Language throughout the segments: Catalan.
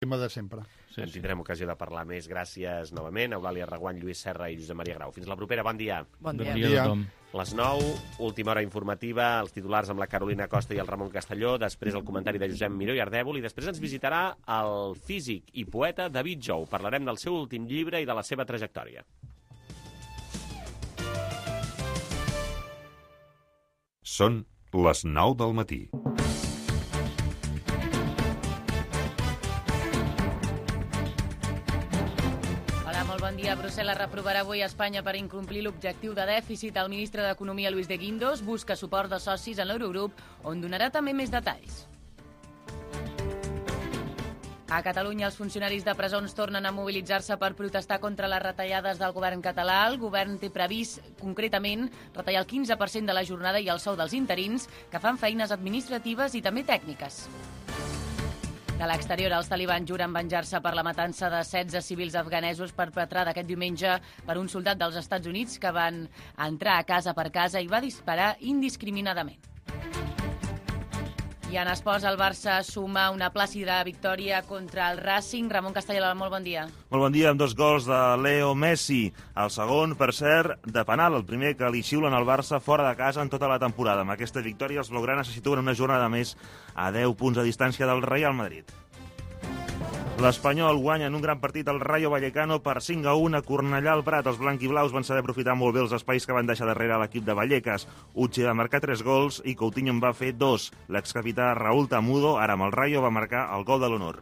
tema de sempre. Sí, en tindrem ocasió de parlar més. Gràcies novament, Eulàlia Reguant, Lluís Serra i Josep Maria Grau. Fins la propera, bon dia. Bon dia. Bon dia a tothom. Les 9, última hora informativa, els titulars amb la Carolina Costa i el Ramon Castelló, després el comentari de Josep Miró i Ardèvol, i després ens visitarà el físic i poeta David Jou. Parlarem del seu últim llibre i de la seva trajectòria. Són les 9 del matí. Bon dia. Brussel·les reprovarà avui a Espanya per incomplir l'objectiu de dèficit. El ministre d'Economia, Luis de Guindos, busca suport de socis en l'Eurogrup, on donarà també més detalls. A Catalunya, els funcionaris de presons tornen a mobilitzar-se per protestar contra les retallades del govern català. El govern té previst, concretament, retallar el 15% de la jornada i el sou dels interins, que fan feines administratives i també tècniques. De l'exterior, els talibans juren venjar-se per la matança de 16 civils afganesos perpetrada aquest diumenge per un soldat dels Estats Units que van entrar a casa per casa i va disparar indiscriminadament. I en esports, el Barça suma una plàcida victòria contra el Racing. Ramon Castelló, molt bon dia. Molt bon dia, amb 2 gols de Leo Messi. El segon, per cert, de penal, el primer que li xiulen al Barça fora de casa en tota la temporada. Amb aquesta victòria, els blaugranes se situen una jornada més a 10 punts de distància del Real Madrid. L'Espanyol guanya en un gran partit al Rayo Vallecano per 5-1 a Cornellà al Prat. Els blanquiblaus van saber aprofitar molt bé els espais que van deixar darrere l'equip de Vallecas. Uche va marcar 3 gols i Coutinho en va fer 2. L'excapità Raúl Tamudo, ara amb el Rayo, va marcar el gol de l'honor.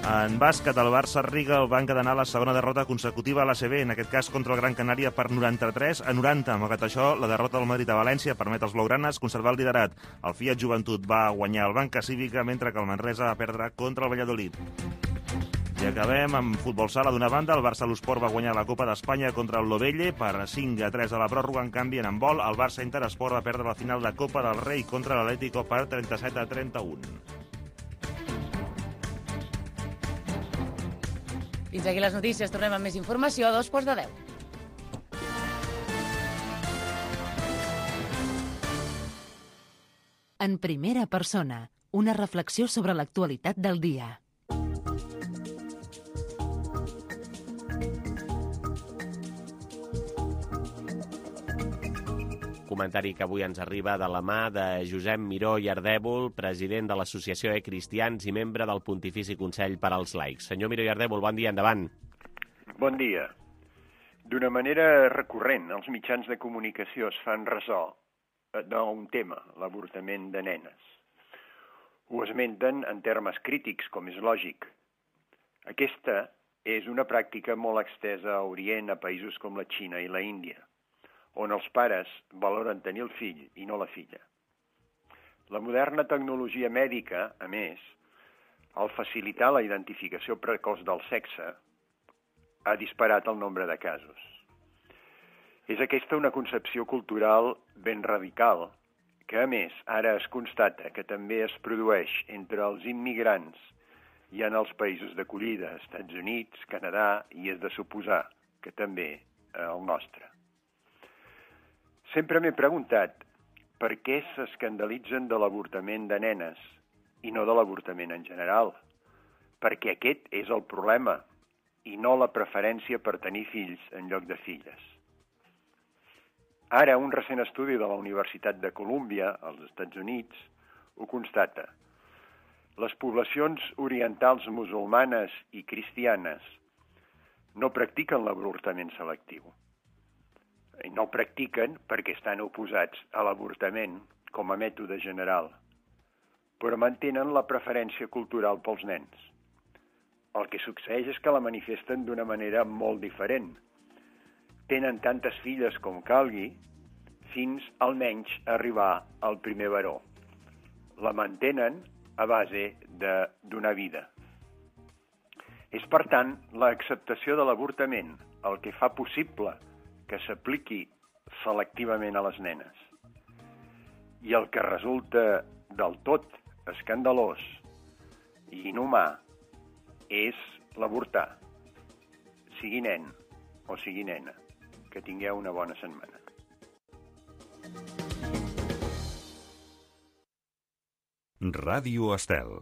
En bàsquet, el Barça Riga el va encadenar la segona derrota consecutiva a l'ACB, en aquest cas contra el Gran Canària per 93-90. Malgrat això, la derrota del Madrid a València permet als blaugranes conservar el liderat. El Fiat Joventut va guanyar el Banca Cívica, mentre que el Manresa va perdre contra el Valladolid. I acabem amb futbol sala. D'una banda, el Barça Lusport va guanyar la Copa d'Espanya contra el Lovelle per 5-3 a la pròrroga. En canvi, en handbol, el Barça Interesport va perdre la final de Copa del Rei contra l'Atlético per 37-31. Fins aquí les notícies. Tornem amb més informació a 9:45. En primera persona, una reflexió sobre l'actualitat del dia. Comentari que avui ens arriba de la mà de Josep Miró i Ardèvol, president de l'Associació Cristians i membre del Pontifici Consell per als Laics. Senyor Miró i Ardèvol, bon dia, endavant. Bon dia. D'una manera recurrent, els mitjans de comunicació es fan ressò d'un tema, l'avortament de nenes. Ho esmenten en termes crítics, com és lògic. Aquesta és una pràctica molt extesa a Orient, a països com la Xina i la Índia, on els pares valoren tenir el fill i no la filla. La moderna tecnologia mèdica, a més, al facilitar la identificació precoç del sexe, ha disparat el nombre de casos. És aquesta una concepció cultural ben radical, que a més ara es constata que també es produeix entre els immigrants i en els països d'acollida, Estats Units, Canadà, i és de suposar que també el nostre. Sempre m'he preguntat per què s'escandalitzen de l'avortament de nenes i no de l'avortament en general, perquè aquest és el problema i no la preferència per tenir fills en lloc de filles. Ara, un recent estudi de la Universitat de Colúmbia, als Estats Units, ho constata. Les poblacions orientals musulmanes i cristianes no practiquen l'avortament selectiu. I no practiquen perquè estan oposats a l'avortament com a mètode general, però mantenen la preferència cultural pels nens. El que succeeix és que la manifesten d'una manera molt diferent. Tenen tantes filles com calgui fins almenys arribar al primer baró. La mantenen a base de donar vida. És, per tant, l'acceptació de l'avortament el que fa possible que s'apliqui selectivament a les nenes. I el que resulta del tot escandalós i inhumà és l'avortar, sigui nen o sigui nena. Que tingueu una bona setmana. Ràdio Estel.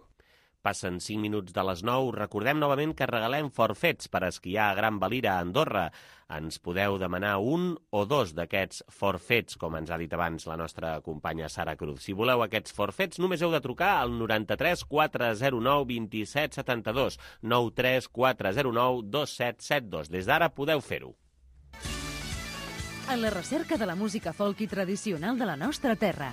Passen 5 minuts de les 9. Recordem novament que regalem forfets per esquiar a Gran Valira, a Andorra. Ens podeu demanar un o dos d'aquests forfets, com ens ha dit abans la nostra companya Sara Cruz. Si voleu aquests forfets, només heu de trucar al 93 409 27 72, 93 409 2772. Des d'ara podeu fer-ho. A la recerca de la música folk i tradicional de la nostra terra.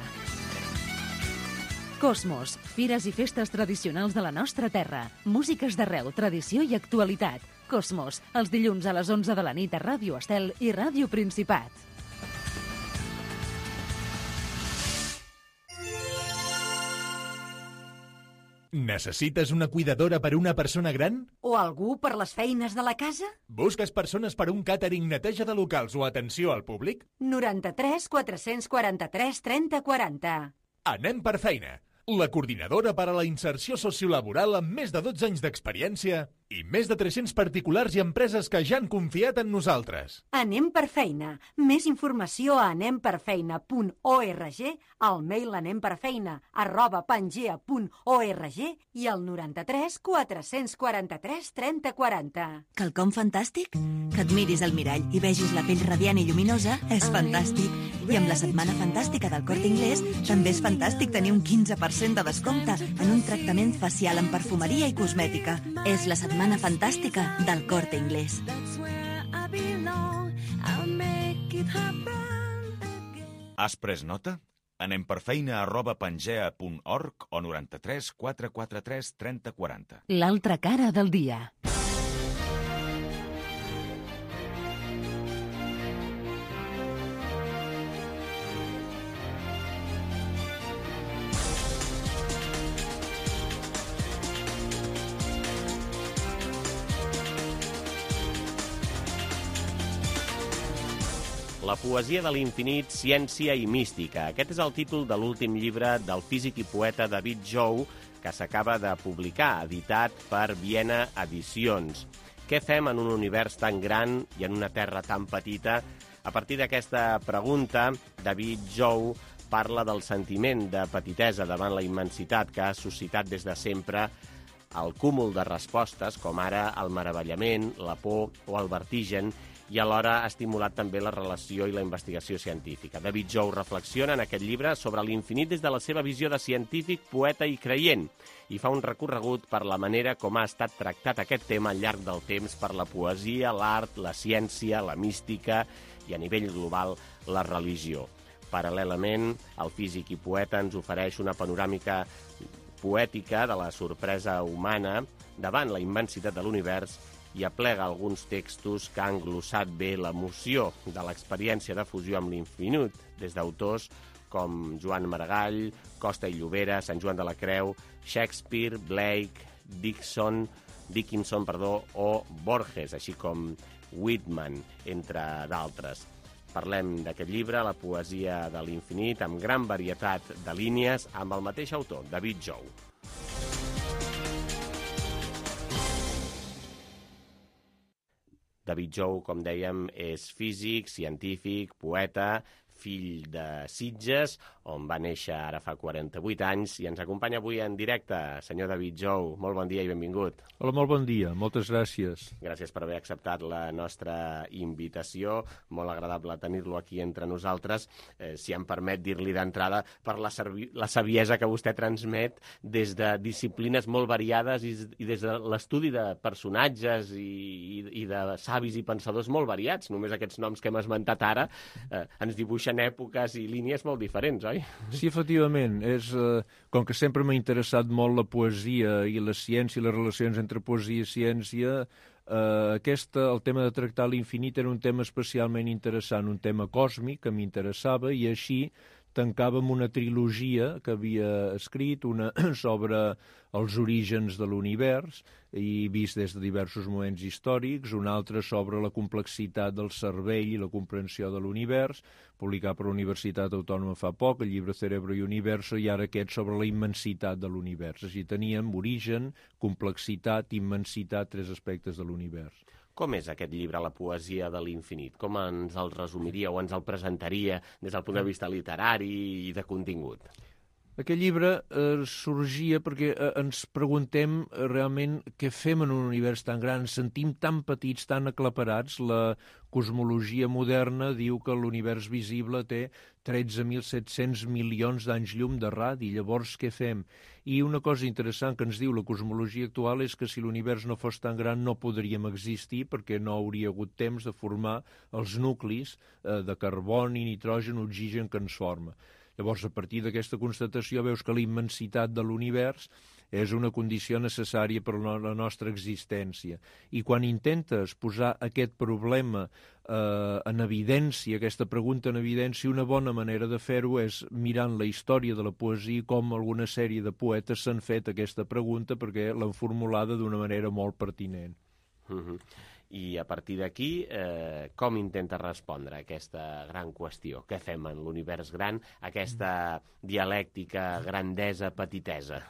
Cosmos, fires i festes tradicionals de la nostra terra. Músiques d'arreu, tradició i actualitat. Cosmos, els dilluns a les 11 de la nit a Ràdio Estel i Ràdio Principat. Necessites una cuidadora per una persona gran? O algú per les feines de la casa? Busques persones per un càtering, neteja de locals o atenció al públic? 93 443 30 40. Anem per feina. La coordinadora per a la inserció sociolaboral amb més de 12 anys d'experiència i més de 300 particulars i empreses que ja han confiat en nosaltres. Anem per feina. Més informació a anemperfeina.org, al mail anemperfeina@pangea.org i al 93 443 30 40. Quelcom fantàstic? Que et miris al mirall i vegis la pell radiant i lluminosa és fantàstic. I amb la Setmana Fantàstica del Corte Inglés també és fantàstic tenir un 15% de descompte en un tractament facial en perfumeria i cosmètica. És la Setmana Fantàstica del Corte Inglés. Has pres nota? Anem per feina@pangea.org o 93 443 30 40. L'altra cara del dia. La poesia de l'infinit, ciència i mística. Aquest és el títol de l'últim llibre del físic i poeta David Jou, que s'acaba de publicar, editat per Viena Edicions. Què fem en un univers tan gran i en una terra tan petita? A partir d'aquesta pregunta, David Jou parla del sentiment de petitesa davant la immensitat que ha suscitat des de sempre el cúmul de respostes, com ara el meravellament, la por o el vertigen, i alhora ha estimulat també la relació i la investigació científica. David Jou reflexiona en aquest llibre sobre l'infinit des de la seva visió de científic, poeta i creient, i fa un recorregut per la manera com ha estat tractat aquest tema al llarg del temps per la poesia, l'art, la ciència, la mística i, a nivell global, la religió. Paral·lelament, el físic i poeta ens ofereix una panoràmica poètica de la sorpresa humana davant la immensitat de l'univers i aplega alguns textos que han glossat bé l'emoció de l'experiència de fusió amb l'infinit, des d'autors com Joan Maragall, Costa i Llobera, Sant Joan de la Creu, Shakespeare, Blake, Dickinson, o Borges, així com Whitman, entre d'altres. Parlem d'aquest llibre, La poesia de l'infinit, amb gran varietat de línies, amb el mateix autor, David Jou. David Jou, com dèiem, és físic, científic, poeta, fill de Sitges, on va néixer ara fa 48 anys, i ens acompanya avui en directe. Senyor David Jou, molt bon dia i benvingut. Hola, molt bon dia, moltes gràcies. Gràcies per haver acceptat la nostra invitació, molt agradable tenir-lo aquí entre nosaltres, si em permet dir-li d'entrada, per la saviesa que vostè transmet des de disciplines molt variades i des de l'estudi de personatges i de savis i pensadors molt variats. Només aquests noms que hem esmentat ara ens dibuixen èpoques i línies molt diferents, oi? Sí, efectivament. Com que sempre m'ha interessat molt la poesia i la ciència i les relacions entre poesia i ciència, el tema de tractar l'infinit era un tema especialment interessant, un tema còsmic que m'interessava, i així tancàvem una trilogia que havia escrit, una sobre els orígens de l'univers, i vist des de diversos moments històrics, una altra sobre la complexitat del cervell i la comprensió de l'univers, publicat per la Universitat Autònoma fa poc, el llibre Cerebro i Universo, i ara aquest sobre la immensitat de l'univers. Així teníem origen, complexitat, immensitat, tres aspectes de l'univers. Com és aquest llibre, La poesia de l'infinit? Com ens el resumiria o ens el presentaria des del punt de vista literari i de contingut? Aquest llibre sorgia perquè ens preguntem realment què fem en un univers tan gran. Ens sentim tan petits, tan aclaparats. La cosmologia moderna diu que l'univers visible té 13.700 milions d'anys llum de radi. Llavors, què fem? I una cosa interessant que ens diu la cosmologia actual és que si l'univers no fos tan gran no podríem existir perquè no hauria hagut temps de formar els nuclis de carboni, nitrogen, oxigen que ens forma. Llavors, a partir d'aquesta constatació, veus que la immensitat de l'univers és una condició necessària per a la nostra existència. I quan intentes posar aquest problema en evidència, aquesta pregunta en evidència, una bona manera de fer-ho és mirant la història de la poesia, com alguna sèrie de poetes s'han fet aquesta pregunta perquè l'han formulada d'una manera molt pertinent. I a partir d'aquí, com intenta respondre a aquesta gran qüestió? Què fem en l'univers gran, aquesta dialèctica grandesa-petitesa?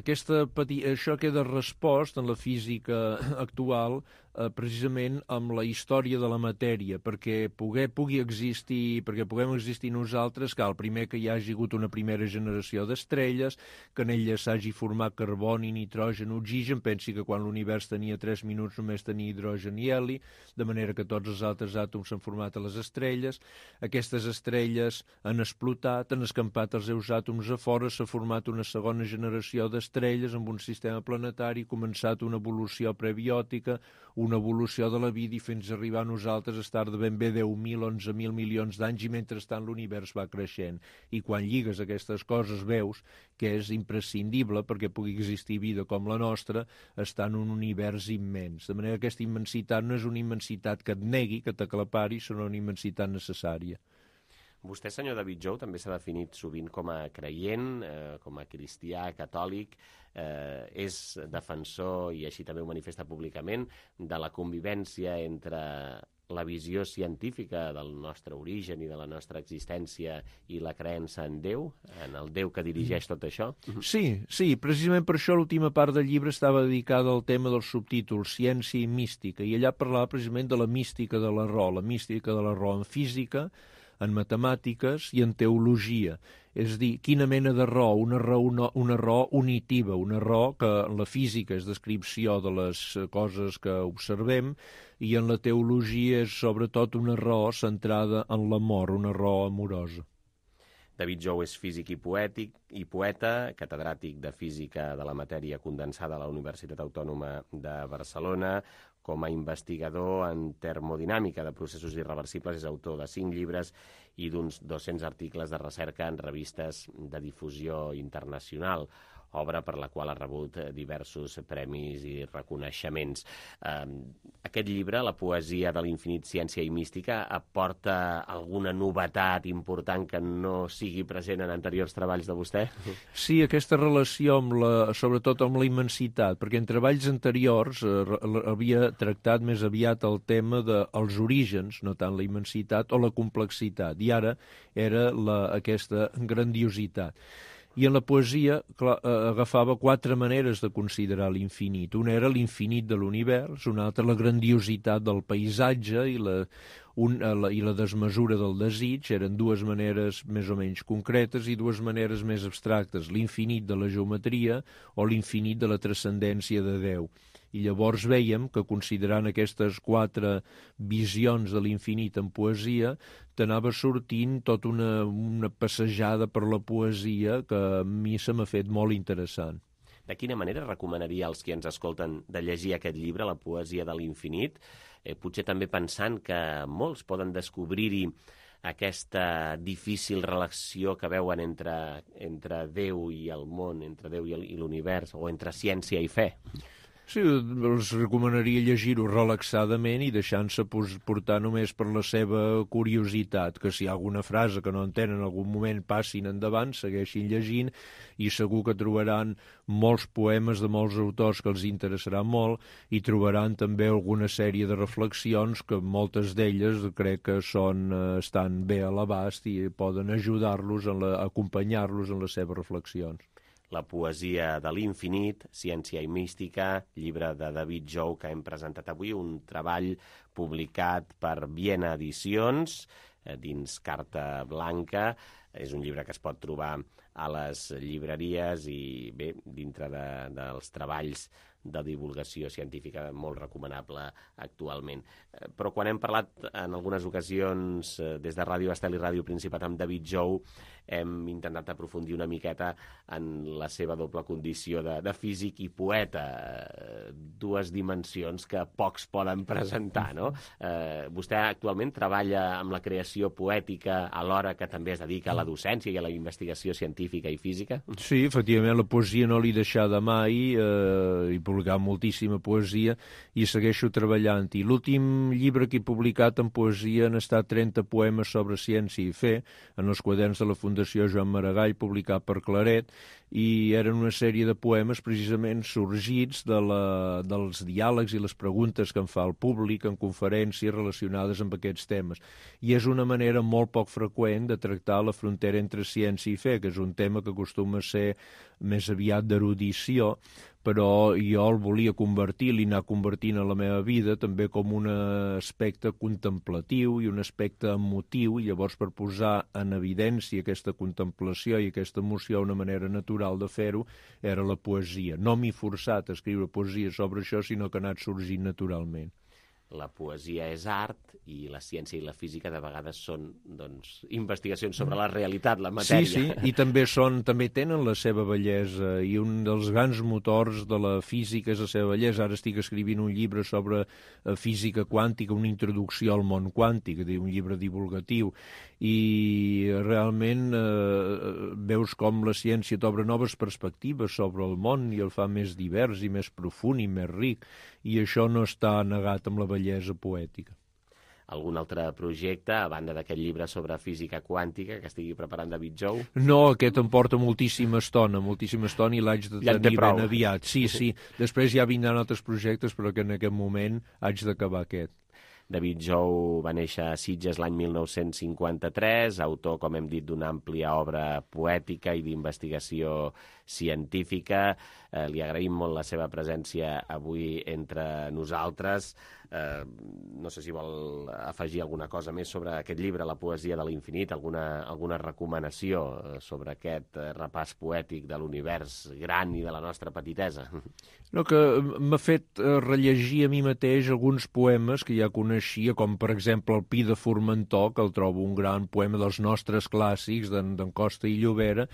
Això queda respost en la física actual precisament amb la història de la matèria, perquè puguem existir nosaltres, cal primer que hi hagi hagut una primera generació d'estrelles, que en elles s'hagi format carboni, nitrogen, oxigen. Pensi que quan l'univers tenia 3 minuts només tenia hidrogen i heli, de manera que tots els altres àtoms s'han format a les estrelles. Aquestes estrelles han explotat, han escampat els seus àtoms a fora, s'ha format una segona generació d'estrelles amb un sistema planetari, començat una evolució prebiòtica, una evolució de la vida i fins a arribar a nosaltres a estar de ben bé 10.000, 11.000 milions d'anys i mentrestant l'univers va creixent. I quan lligues aquestes coses veus que és imprescindible perquè pugui existir vida com la nostra estar en un univers immens. De manera que aquesta immensitat no és una immensitat que et negui, que t'aclapari, sinó una immensitat necessària. Vostè, senyor David Jou, també s'ha definit sovint com a creient, com a cristià, catòlic, és defensor, i així també ho manifesta públicament, de la convivència entre la visió científica del nostre origen i de la nostra existència i la creença en Déu, en el Déu que dirigeix tot això? Sí, precisament per això l'última part del llibre estava dedicada al tema dels subtítols, ciència i mística, i allà parlava precisament de la mística de la raó en física, en matemàtiques i en teologia. És a dir, quina mena de raó? Una raó unitiva, una raó que en la física és descripció de les coses que observem i en la teologia és sobretot una raó centrada en l'amor, una raó amorosa. David Jou és físic i poeta, catedràtic de Física de la Matèria Condensada a la Universitat Autònoma de Barcelona. Com a investigador en termodinàmica de processos irreversibles és autor de 5 llibres i d'uns 200 articles de recerca en revistes de difusió internacional, obra per la qual ha rebut diversos premis i reconeixements. Aquest llibre, La poesia de l'infinit, ciència i mística, aporta alguna novetat important que no sigui present en anteriors treballs de vostè? Sí, aquesta relació, sobretot amb la immensitat, perquè en treballs anteriors havia tractat més aviat el tema dels orígens, no tant la immensitat o la complexitat, i ara era aquesta grandiositat. I en la poesia agafava 4 maneres de considerar l'infinit. Una era l'infinit de l'univers, una altra la grandiositat del paisatge i la desmesura del desig. Eren 2 maneres més o menys concretes i 2 maneres més abstractes, l'infinit de la geometria o l'infinit de la transcendència de Déu. I llavors vèiem que, considerant aquestes 4 visions de l'infinit en poesia, t'anava sortint tota una passejada per la poesia que a mi se m'ha fet molt interessant. De quina manera recomanaria als qui ens escolten de llegir aquest llibre, La poesia de l'infinit? Potser també pensant que molts poden descobrir-hi aquesta difícil relació que veuen entre Déu i el món, entre Déu i l'univers, o entre ciència i fe. Sí, els recomanaria llegir-ho relaxadament i deixant-se portar només per la seva curiositat, que si hi ha alguna frase que no entenen en algun moment passin endavant, segueixin llegint i segur que trobaran molts poemes de molts autors que els interessarà molt i trobaran també alguna sèrie de reflexions que moltes d'elles crec que estan bé a l'abast i poden ajudar-los, acompanyar-los en les seves reflexions. La poesia de l'infinit, ciència i mística, llibre de David Jou que hem presentat avui, un treball publicat per Viena Edicions, dins Carta Blanca. És un llibre que es pot trobar a les llibreries i, bé, dintre dels treballs de divulgació científica, molt recomanable actualment. Però quan hem parlat en algunes ocasions des de Ràdio Estel i Ràdio Principat amb David Jou, hem intentat aprofundir una miqueta en la seva doble condició de físic i poeta, dues dimensions que pocs poden presentar, no? Vostè actualment treballa amb la creació poètica alhora que també es dedica a la docència i a la investigació científica i física? Sí, efectivament, la poesia no l'he deixada mai, he publicat moltíssima poesia i segueixo treballant-hi. L'últim llibre que he publicat en poesia han estat 30 poemes sobre ciència i fe, en els quaderns de la Fundació Joan Maragall, publicat per Claret, i eren una sèrie de poemes precisament sorgits dels diàlegs i les preguntes que em fa el públic en conferències relacionades amb aquests temes. I és una manera molt poc freqüent de tractar la frontera entre ciència i fe, que és un tema que acostuma a ser més aviat d'erudició, però jo el volia convertir, l'he anat convertint a la meva vida també com un aspecte contemplatiu i un aspecte emotiu, i llavors per posar en evidència aquesta contemplació i aquesta emoció, una manera natural de fer-ho era la poesia. No m'he forçat a escriure poesia sobre això, sinó que ha anat sorgint naturalment. La poesia és art i la ciència i la física de vegades són, doncs, investigacions sobre la realitat, la matèria. Sí, i també tenen la seva bellesa, i un dels grans motors de la física és la seva bellesa. Ara estic escrivint un llibre sobre física quàntica, una introducció al món quàntic, un llibre divulgatiu, i realment veus com la ciència t'obre noves perspectives sobre el món i el fa més divers i més profund i més ric, i això no està negat amb la bellesa poètica. Algun altre projecte, a banda d'aquest llibre sobre física quàntica que estigui preparant David Jou? No, aquest em porta moltíssima estona i l'haig de tenir ben aviat. Sí. Després ja vindran altres projectes, però que en aquest moment haig d'acabar aquest. David Jou va néixer a Sitges l'any 1953, autor, com hem dit, d'una àmplia obra poètica i d'investigació científica. Li agraïm molt la seva presència avui entre nosaltres. No sé si vol afegir alguna cosa més sobre aquest llibre, La poesia de l'infinit, alguna recomanació sobre aquest repàs poètic de l'univers gran i de la nostra petitesa. No, que m'ha fet rellegir a mi mateix alguns poemes que ja coneixia, com per exemple el Pi de Formentor, que el trobo un gran poema dels nostres clàssics, d'en Costa i Llobera,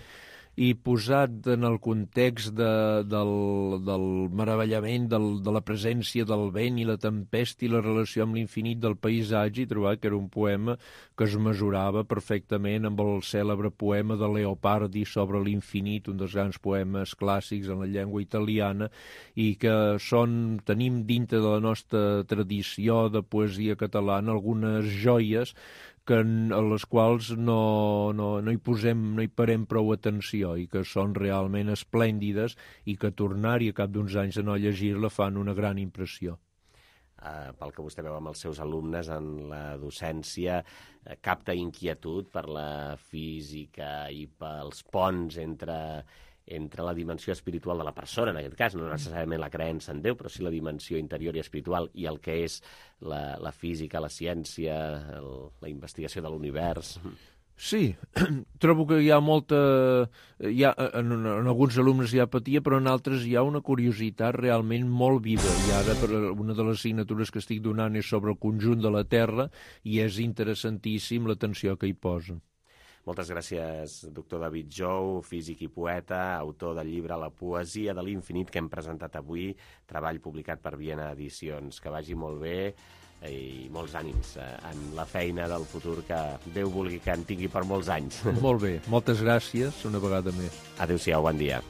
i posat en el context del meravellament de la presència del vent i la tempesta i la relació amb l'infinit del paisatge, he trobat que era un poema que es mesurava perfectament amb el cèlebre poema de Leopardi sobre l'infinit, un dels grans poemes clàssics en la llengua italiana, i que tenim dintre de la nostra tradició de poesia catalana algunes joies a les quals no hi parem prou atenció i que són realment esplèndides i que tornar-hi a cap d'uns anys de no llegir-la fan una gran impressió. Pel que vostè veu amb els seus alumnes en la docència, capta inquietud per la física i pels ponts entre la dimensió espiritual de la persona, en aquest cas, no necessàriament la creença en Déu, però sí la dimensió interior i espiritual i el que és la física, la ciència, la investigació de l'univers. Sí, trobo que hi ha en alguns alumnes hi ha apatia, però en altres hi ha una curiositat realment molt viva. I ara una de les assignatures que estic donant és sobre el conjunt de la Terra i és interessantíssim l'atenció que hi posen. Moltes gràcies, doctor David Jou, físic i poeta, autor del llibre La poesia de l'infinit que hem presentat avui, treball publicat per Viena Edicions. Que vagi molt bé i molts ànims en la feina del futur que Déu vulgui que en tingui per molts anys. Molt bé, moltes gràcies una vegada més. Adéu-siau, bon dia.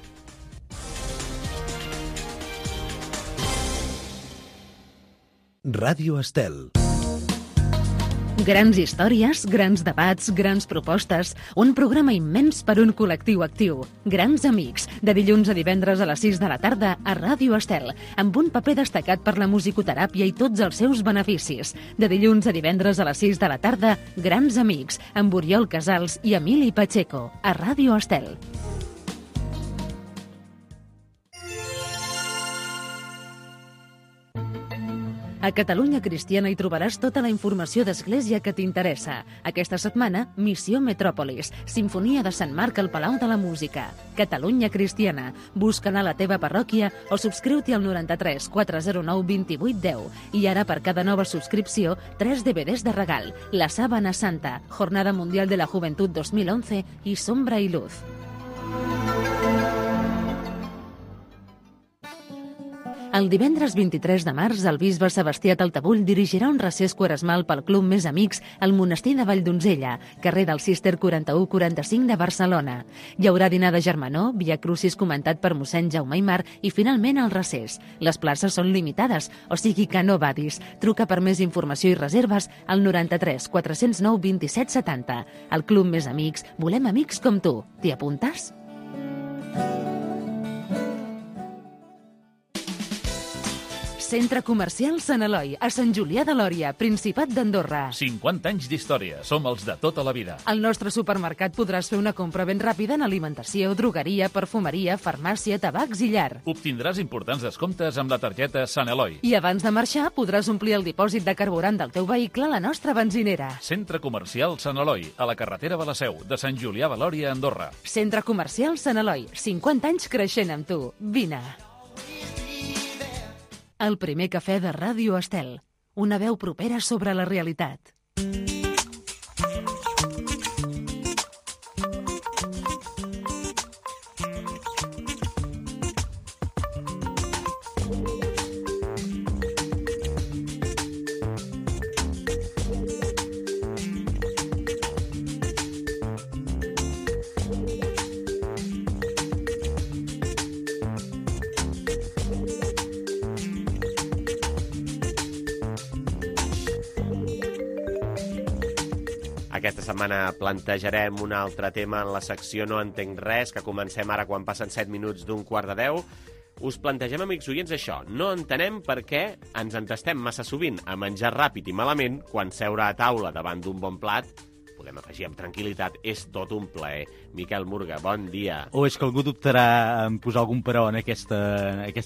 Ràdio Estel. Grans històries, grans debats, grans propostes, un programa immens per un col·lectiu actiu. Grans amics, de dilluns a divendres a les 6 de la tarda a Ràdio Estel, amb un paper destacat per la musicoteràpia i tots els seus beneficis. De dilluns a divendres a les 6 de la tarda, Grans amics, amb Oriol Casals i Emili Pacheco, a Ràdio Estel. A Catalunya Cristiana hi trobaràs tota la informació d'Església que t'interessa. Aquesta setmana, Missió Metròpolis, Simfonia de Sant Marc al Palau de la Música. Catalunya Cristiana. Busca-la a la teva parròquia o subscriu-t'hi al 93 409 28 10. I ara, per cada nova subscripció, 3 DVDs de regal. La Sábana Santa, Jornada Mundial de la Juventud 2011 i Sombra y Luz. El divendres 23 de març, el bisbe Sebastià Taltabull dirigirà un recés quaresmal pel Club Més Amics al monestir de Valldonzella, carrer del Cister 4145 de Barcelona. Hi haurà dinar de germanor, via crucis comentat per mossèn Jaume Aimar i finalment el recés. Les places són limitades, o sigui que no badis. Truca per més informació i reserves al 93 409 27 70. Al Club Més Amics volem amics com tu. T'hi apuntes? Centre Comercial Sant Eloi, a Sant Julià de Lòria, Principat d'Andorra. 50 anys d'història. Som els de tota la vida. Al nostre supermercat podràs fer una compra ben ràpida en alimentació, drogueria, perfumeria, farmàcia, tabacs i llar. Obtindràs importants descomptes amb la targeta Sant Eloi. I abans de marxar podràs omplir el dipòsit de carburant del teu vehicle a la nostra benzinera. Centre Comercial Sant Eloi, a la carretera de la Seu, de Sant Julià de Lòria, Andorra. Centre Comercial Sant Eloi, 50 anys creixent amb tu. Vine. El primer cafè de Ràdio Estel. Una veu propera sobre la realitat. Aquesta setmana plantejarem un altre tema en la secció No entenc res, que comencem ara quan passen 7 minuts d'un quart de 10. Us plantegem, amics oients, això. No entenem per què ens entestem massa sovint a menjar ràpid i malament quan seure a taula davant d'un bon plat, podem afegir amb tranquil·litat, és tot un plaer. Miquel Murga, bon dia. O és que algú dubtarà en posar algun però en aquesta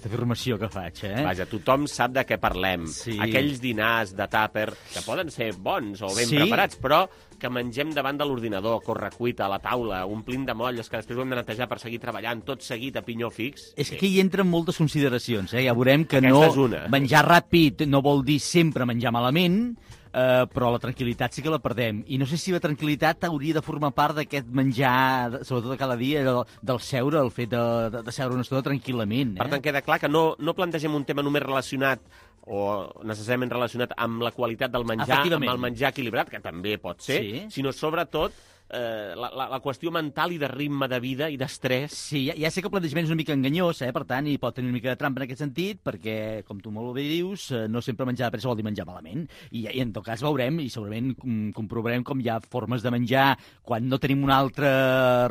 afirmació que faig, eh? Vaja, tothom sap de què parlem. Sí. Aquells dinars de tàper, que poden ser bons o ben preparats, però que mengem davant de l'ordinador, correcuita, a la taula, omplint de molles, que després ho hem de netejar per seguir treballant, tot seguit a pinyó fix. És que aquí hi entren moltes consideracions, eh? Ja veurem que Aquesta és una. Menjar ràpid no vol dir sempre menjar malament, però la tranquil·litat sí que la perdem. I no sé si la tranquil·litat hauria de formar part d'aquest menjar, sobretot de cada dia, del seure, el fet de seure una estona tranquil·lament. Per tant, queda clar que no plantegem un tema només relacionat o necessàriament relacionat amb la qualitat del menjar, amb el menjar equilibrat, que també pot ser, sinó sobretot la qüestió mental i de ritme de vida i d'estrès. Sí, ja sé que el plantejament és una mica enganyós, per tant, i pot tenir una mica de trampa en aquest sentit, perquè, com tu molt bé dius, no sempre menjar de pressa vol dir menjar malament. I en tot cas veurem, i segurament comprovarem com hi ha formes de menjar quan no tenim un altre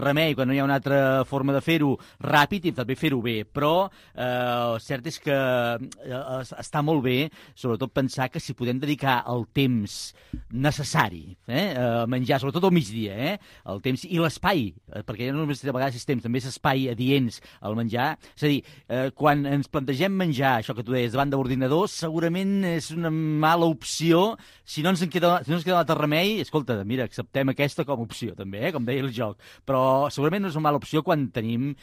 remei, quan no hi ha una altra forma de fer-ho ràpid i també fer-ho bé. Però cert és que està molt bé, sobretot pensar que si podem dedicar el temps necessari a menjar, sobretot al migdia, el temps i l'espai, perquè ja no només a vegades és temps, també és espai adients al menjar. És a dir, quan ens plantegem menjar, això que tu deies, davant de l'ordinador, segurament és una mala opció. Si no ens queda l'altre remei, escolta, mira, acceptem aquesta com a opció, també, com deia el joc. Però segurament no és una mala opció quan tenim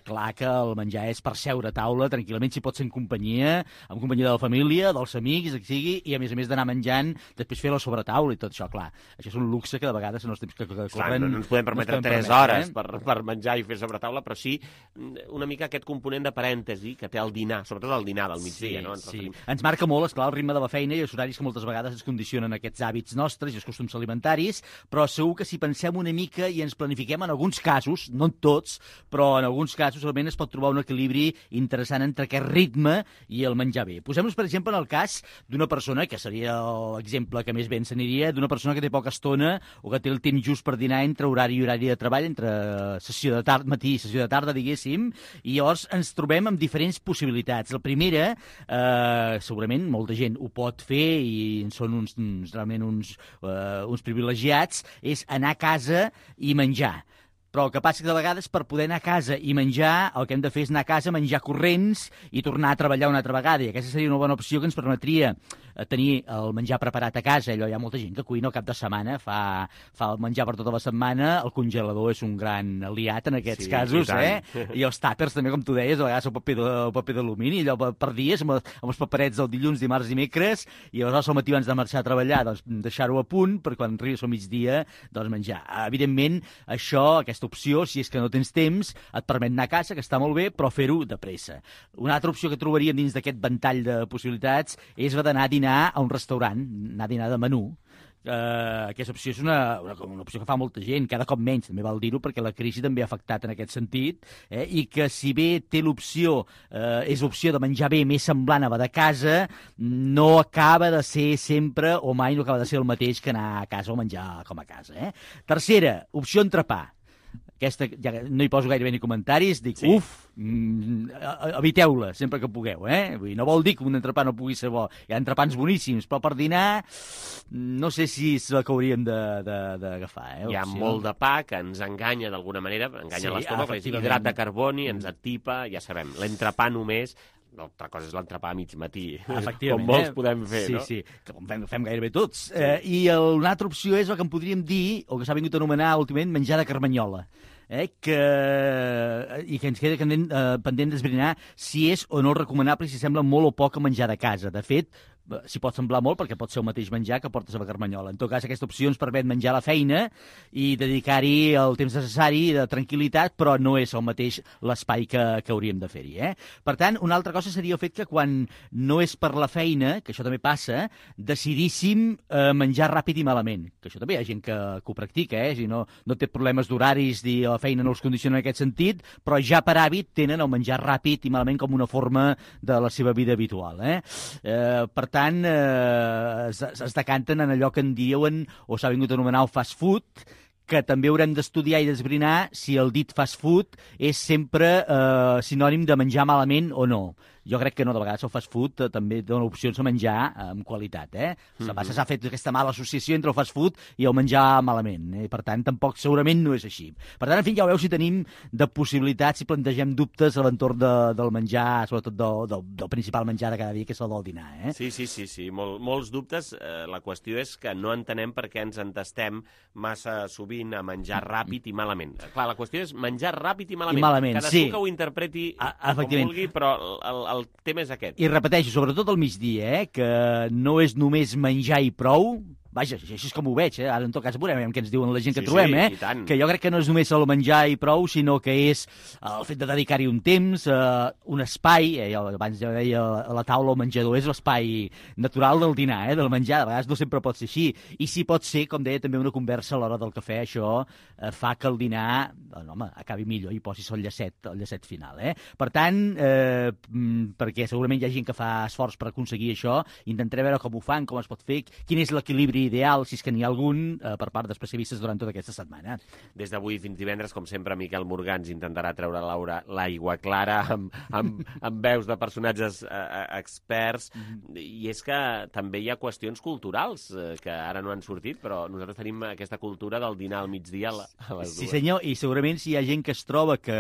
clar que el menjar és per seure a taula, tranquil·lament, si pot ser en companyia de la família, dels amics, que sigui, i a més d'anar menjant, després fer la sobretaula i tot això, clar. Això és un luxe que de vegades en els temps que corren... No ens podem permetre 3 hores per menjar i fer sobretaula, però sí una mica aquest component de parèntesi que té el dinar, sobretot el dinar del migdia. Sí. Ens marca molt, esclar, el ritme de la feina i els horaris que moltes vegades ens condicionen aquests hàbits nostres i els costums alimentaris, però segur que si pensem una mica i ens planifiquem en alguns casos, no en tots, però en alguns casos almenys es pot trobar un equilibri interessant entre aquest ritme i el menjar bé. Posem-nos, per exemple, en el cas d'una persona, que seria l'exemple que més bé ens aniria, d'una persona que té poca estona o que té el temps just per dinar entre horari i horari de treball, entre sessió de matí i sessió de tarda, diguéssim, i llavors ens trobem amb diferents possibilitats. La primera, segurament molta gent ho pot fer i són realment uns privilegiats, és anar a casa i menjar. Però el que passa que de vegades per poder anar a casa i menjar, el que hem de fer és anar a casa, menjar corrents i tornar a treballar una altra vegada. I aquesta seria una bona opció que ens permetria tenir el menjar preparat a casa. Allò hi ha molta gent que cuina al cap de setmana, fa el menjar per tota la setmana, el congelador és un gran aliat en aquests casos, I els tàpers també, com tu deies, a vegades el paper d'alumini, allò per dies, amb els paperets del dilluns, dimarts i dimecres, i aleshores al matí abans de marxar a treballar, doncs deixar-ho a punt per quan arribis al migdia, doncs menjar. Evidentment, aquesta opció, si és que no tens temps, et permet anar a casa, que està molt bé, però fer-ho de pressa. Una altra opció que trobaríem dins d'aquest ventall de possibilitats és d'anar a dinar a un restaurant, anar a dinar de menú. Aquesta opció és una opció que fa molta gent, cada cop menys, també val dir-ho, perquè la crisi també ha afectat en aquest sentit, i que si bé té l'opció, és l'opció de menjar bé més semblant a de casa, no acaba de ser sempre, o mai no acaba de ser el mateix que anar a casa o menjar com a casa. Tercera, opció entrepà. Aquesta, ja no hi poso gairebé ni comentaris, dic, eviteu-la sempre que pugueu, Vull dir, no vol dir que un entrepà no pugui ser bo. Hi ha entrepans boníssims, però per dinar no sé si és el que hauríem d'agafar. Hi ha molt de pa que ens enganya d'alguna manera, enganya l'estómac, és hidrat de carboni, ens atipa, ja sabem, l'entrepà només. L'altra cosa és l'entrepà a mig matí, com molts podem fer, no? Sí, com fem gairebé tots. I una altra opció és el que en podríem dir, o que s'ha vingut a anomenar últimament, menjar de carmanyola. I que ens queda pendent d'esbrinar si és o no recomanable, si sembla molt o poc menjar de casa. De fet, s'hi pot semblar molt perquè pot ser el mateix menjar que portes a la carmanyola. En tot cas, aquesta opció ens permet menjar a la feina i dedicar-hi el temps necessari de tranquil·litat, però no és el mateix l'espai que hauríem de fer-hi. Per tant, una altra cosa seria el fet que quan no és per la feina, que això també passa, decidíssim menjar ràpid i malament. Que això també hi ha gent que ho practica, si no té problemes d'horaris i la feina no els condiciona en aquest sentit, però ja per hàbit tenen el menjar ràpid i malament com una forma de la seva vida habitual. Per tant, es decanten en allò que en diuen, o s'ha vingut a anomenar el fast food, que també haurem d'estudiar i d'esbrinar si el dit fast food és sempre sinònim de menjar malament o no. Jo crec que no, de vegades el fast food també dona opcions a menjar amb qualitat. S'ha fet aquesta mala associació entre el fast food i el menjar malament. Per tant, tampoc segurament no és així. Per tant, en fi, ja ho veu si tenim de possibilitats, si plantegem dubtes a l'entorn del menjar, sobretot del principal menjar de cada dia, que és el del dinar. Sí, molts dubtes. La qüestió és que no entenem per què ens entestem massa sovint a menjar ràpid i malament. Clar, la qüestió és menjar ràpid i malament. Cadascú que ho interpreti com vulgui, però el tema és aquest. I repeteixo, sobretot al migdia, que no és només menjar i prou. Vaja, així és com ho veig, Ara, en tot cas, veurem què ens diuen la gent que trobem, Que jo crec que no és només el menjar i prou, sinó que és el fet de dedicar-hi un temps, un espai, abans ja deia la taula o menjador, és l'espai natural del dinar, del menjar, de vegades no sempre pot ser així. I si pot ser, com deia, també una conversa a l'hora del cafè, això fa que el dinar, acabi millor i posis el llacet final. Per tant, perquè segurament hi ha gent que fa esforç per aconseguir això, intentaré veure com ho fan, com es pot fer, quin és l'equilibri ideal, si és que n'hi ha algun, per part d'especialistes durant tota aquesta setmana. Des d'avui fins divendres, com sempre, Miquel Morgans intentarà treure l'aigua clara amb veus de personatges experts, i és que també hi ha qüestions culturals que ara no han sortit, però nosaltres tenim aquesta cultura del dinar al migdia a les dues. Sí, senyor, i segurament si hi ha gent que es troba que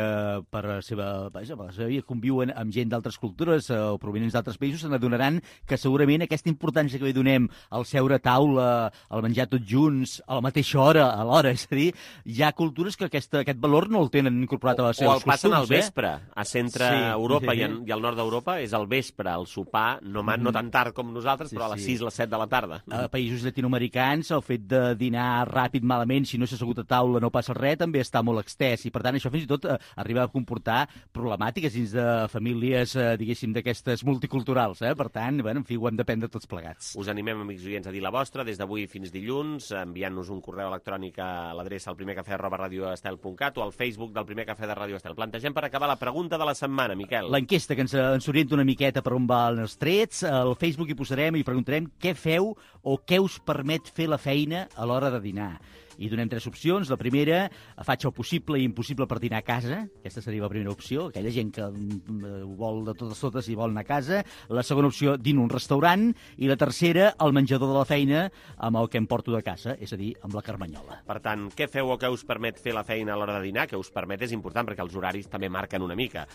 per la seva vida conviuen amb gent d'altres cultures o provenents d'altres països, se n'adonaran que segurament aquesta importància que li donem al seure a taula, al menjar tots junts, a la mateixa hora, a l'hora, és a dir, hi ha cultures que aquest valor no el tenen incorporat a les seves costums. O el passen al vespre, a centre-Europa i al nord d'Europa, és al vespre, el sopar, no tan tard com nosaltres, però a les 6, les 7 de la tarda. A països llatinoamericans, el fet de dinar ràpid, malament, si no s'ha assegut a taula no passa res, també està molt extès, i per tant això fins i tot arriba a comportar problemàtiques dins de famílies, diguéssim, d'aquestes multiculturals. Per tant, en fi, ho hem d'aprendre tots plegats. Us animem, amics oients, a dir la vostra des d'avui fins dilluns, enviant-nos un correu electrònic a l'adreça alprimercafè@radioestel.cat o al Facebook del Primer Cafè de Ràdio Estel. Plantegem per acabar la pregunta de la setmana, Miquel. L'enquesta que ens orienta una miqueta per on van els trets. Al Facebook hi posarem i preguntarem què feu o què us permet fer la feina a l'hora de dinar. I donem 3 opcions. La primera, faig el possible i impossible per dinar a casa. Aquesta seria la primera opció, aquella gent que ho vol de totes i vol anar a casa. La segona opció, dino a un restaurant. I la tercera, el menjador de la feina amb el que em porto de casa, és a dir, amb la carmanyola. Per tant, què feu o què us permet fer la feina a l'hora de dinar? Què us permet és important, perquè els horaris també marquen una mica.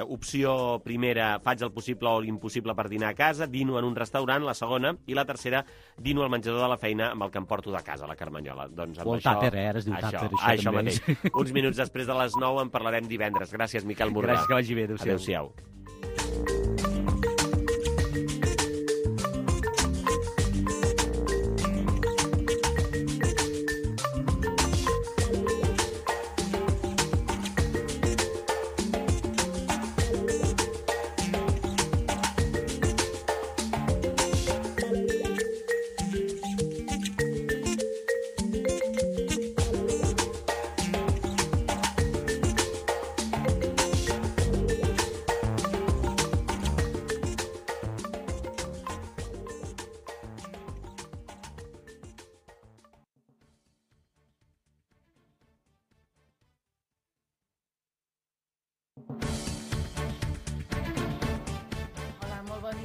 Opció primera, faig el possible o l'impossible per dinar a casa, dino en un restaurant, la segona, i la tercera, dino al menjador de la feina amb el que em porto de casa, la carmanyola. Doncs amb o el tàper, ara es diu tàper, això mateix. Uns minuts després de les 9 en parlarem divendres. Gràcies, Miquel Morgà. Gràcies, que vagi bé. Adéu-siau.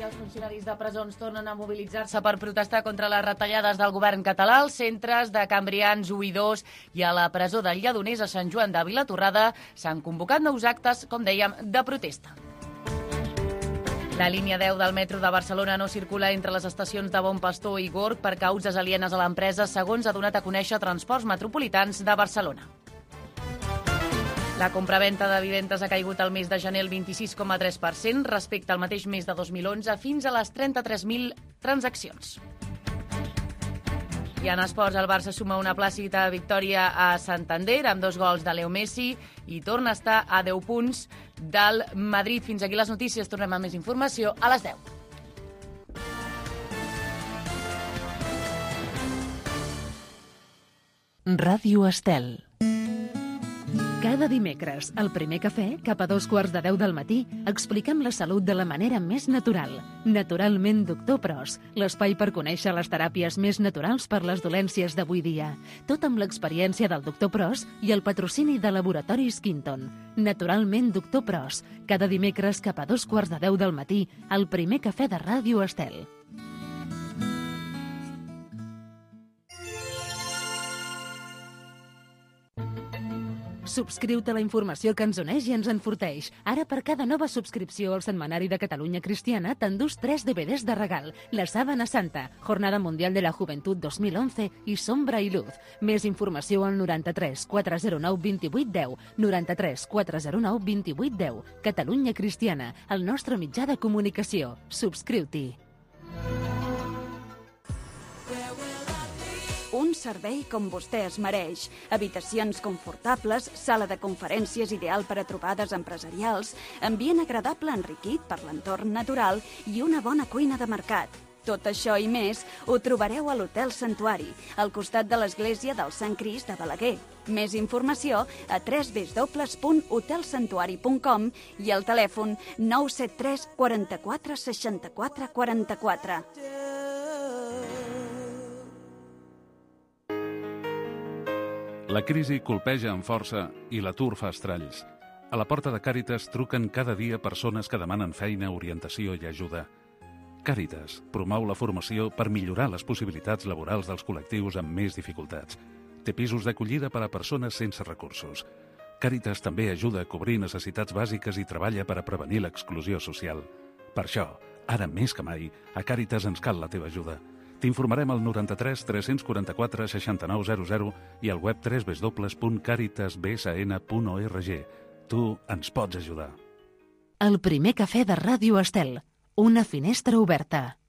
Els funcionaris de presons tornen a mobilitzar-se per protestar contra les retallades del govern català. Els centres de Cambrians 1 i 2 i a la presó del Lledoners a Sant Joan de Vilatorrada s'han convocat nous actes, com dèiem, de protesta. La línia 10 del metro de Barcelona no circula entre les estacions de Bon Pastor i Gorg per causes alienes a l'empresa, segons ha donat a conèixer Transports Metropolitans de Barcelona. La compraventa de vivendes ha caigut al mes de gener el 26,3% respecte al mateix mes de 2011 fins a les 33.000 transaccions. I en esports, el Barça suma una plàcida victòria a Santander amb 2 gols de Leo Messi i torna a estar a 10 punts del Madrid. Fins aquí les notícies. Tornem amb més informació a les 10. Ràdio Estel. Cada dimecres, al primer cafè, cap a 2:15 del matí, expliquem la salut de la manera més natural. Naturalment Doctor Pros, l'espai per conèixer les teràpies més naturals per les dolències d'avui dia. Tot amb l'experiència del Doctor Pros i el patrocini de Laboratoris Quinton. Naturalment Doctor Pros, cada dimecres cap a 2:15 del matí, al primer cafè de Ràdio Estel. Subscriu-te a la informació que ens uneix i ens enforteix. Ara, per cada nova subscripció al Setmanari de Catalunya Cristiana, t'endús 3 DVDs de regal. La Sábana Santa, Jornada Mundial de la Juventud 2011 i Sombra i Luz. Més informació al 93 409 28 10. 93 409 28 10. Catalunya Cristiana, el nostre mitjà de comunicació. Subscriu-t'hi. Un servei com vostè es mereix. Habitacions confortables, sala de conferències ideal per a trobades empresarials, ambient agradable enriquit per l'entorn natural i una bona cuina de mercat. Tot això i més ho trobareu a l'Hotel Santuari, al costat de l'església del Sant Crist de Balaguer. Més informació a www.hotelsantuari.com i al telèfon 973 44 64 44. La crisi colpeja amb força i l'atur fa estralls. A la porta de Càritas truquen cada dia persones que demanen feina, orientació i ajuda. Càritas promou la formació per millorar les possibilitats laborals dels col·lectius amb més dificultats. Té pisos d'acollida per a persones sense recursos. Càritas també ajuda a cobrir necessitats bàsiques i treballa per a prevenir l'exclusió social. Per això, ara més que mai, a Càritas ens cal la teva ajuda. T'informarem al 93 344 6900 i al web www.caritasbsn.org. Tu ens pots ajudar. El primer cafè de Ràdio Estel. Una finestra oberta.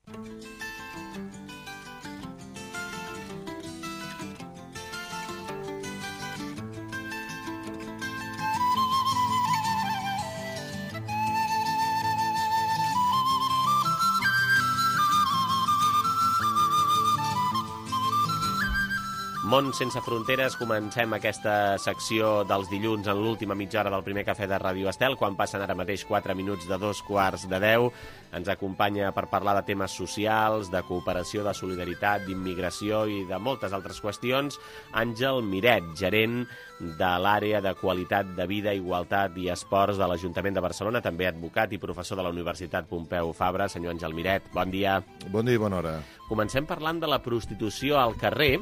Món sense fronteres, comencem aquesta secció dels dilluns en l'última mitja hora del primer cafè de Ràdio Estel, quan passen ara mateix 4 minuts de 2:15. Ens acompanya per parlar de temes socials, de cooperació, de solidaritat, d'immigració i de moltes altres qüestions, Àngel Miret, gerent de l'àrea de qualitat de vida, igualtat i esports de l'Ajuntament de Barcelona, també advocat i professor de la Universitat Pompeu Fabra. Senyor Àngel Miret, bon dia. Bon dia i bona hora. Comencem parlant de la prostitució al carrer,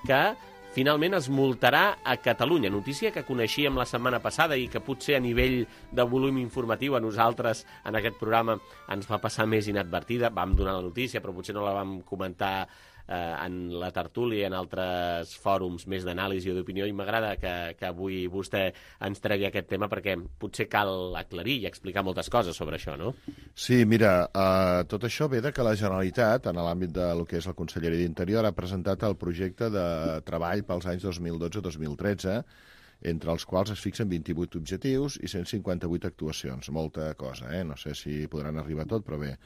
que finalment es multarà a Catalunya. Notícia que coneixíem la setmana passada i que potser a nivell de volum informatiu a nosaltres en aquest programa ens va passar més inadvertida. Vam donar la notícia, però potser no la vam comentar en la tertúlia i en altres fòrums més d'anàlisi o d'opinió, i m'agrada que avui vostè ens tregui aquest tema perquè potser cal aclarir i explicar moltes coses sobre això, no? Sí, mira, tot això ve de que la Generalitat, en l'àmbit del que és la Conselleria d'Interior, ha presentat el projecte de treball pels anys 2012-2013, entre els quals es fixen 28 objectius i 158 actuacions. Molta cosa, No sé si podran arribar a tot, però bé.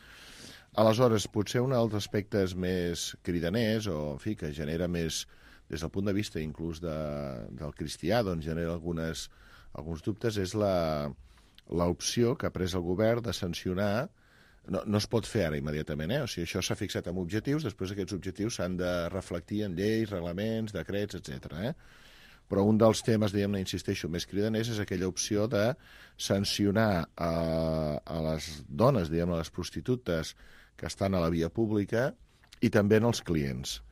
Aleshores, potser un dels aspectes més cridaners, o en fi, que genera més, des del punt de vista inclús del cristià, doncs genera alguns dubtes, és l'opció que ha pres el govern de sancionar. No es pot fer ara immediatament, O sigui, això s'ha fixat amb objectius, després aquests objectius s'han de reflectir en lleis, reglaments, decrets, etc. Però un dels temes, diguem-ne, insisteixo, més cridaners és aquella opció de sancionar a les dones, diguem-ne, les prostitutes que estan a la via pública i també en els clients.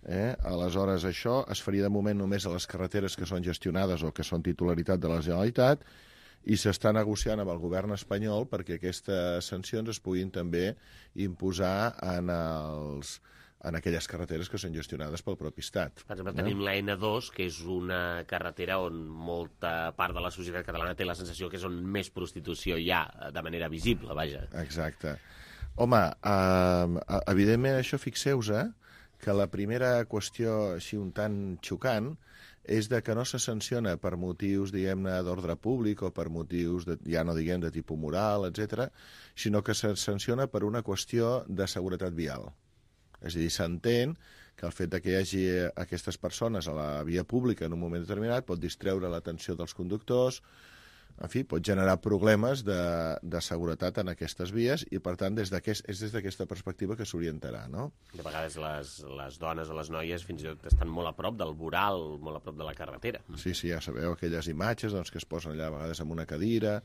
Aleshores, això es faria de moment només a les carreteres que són gestionades o que són titularitat de la Generalitat, i s'està negociant amb el govern espanyol perquè aquestes sancions es puguin també imposar en aquelles carreteres que són gestionades pel propi estat. Per exemple, tenim la N2, que és una carretera on molta part de la societat catalana té la sensació que és on més prostitució hi ha, de manera visible, vaja. Exacte. Home, evidentment això, fixeu-vos que la primera qüestió així un tant xocant és de que no se sanciona per motius, diguem-ne, d'ordre públic o per motius, ja no diguem de tipus moral, etc., sinó que se sanciona per una qüestió de seguretat vial. És a dir, s'entén que el fet que hi hagi aquestes persones a la via pública en un moment determinat pot distreure l'atenció dels conductors, en fi, pot generar problemes de seguretat en aquestes vies i, per tant, és des d'aquesta perspectiva que s'orientarà, no? De vegades les dones o les noies fins i tot estan molt a prop del voral, molt a prop de la carretera. Sí, ja sabeu, aquelles imatges que es posen allà a vegades amb una cadira.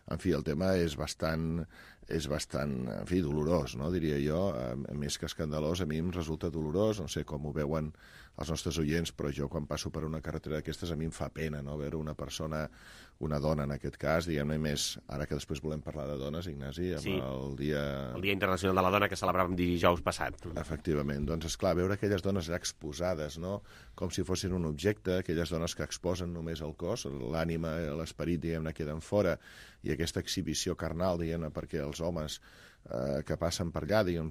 En fi, el tema és bastant, en fi, dolorós, no? Diria jo, més que escandalós, a mi em resulta dolorós, no sé com ho veuen els nostres oients, però jo quan passo per una carretera d'aquestes a mi em fa pena, no?, veure una persona, una dona en aquest cas, diguem-ne, més, ara que després volem parlar de dones, Ignasi, amb el Dia Internacional de la Dona que celebràvem dijous passat. Efectivament, doncs esclar, veure aquelles dones allà exposades, no?, com si fossin un objecte, aquelles dones que exposen només el cos, l'ànima, l'esperit, diguem-ne, queden fora, i aquesta exhibició carnal, diguem-ne, perquè els homes que passen per allà, diguem,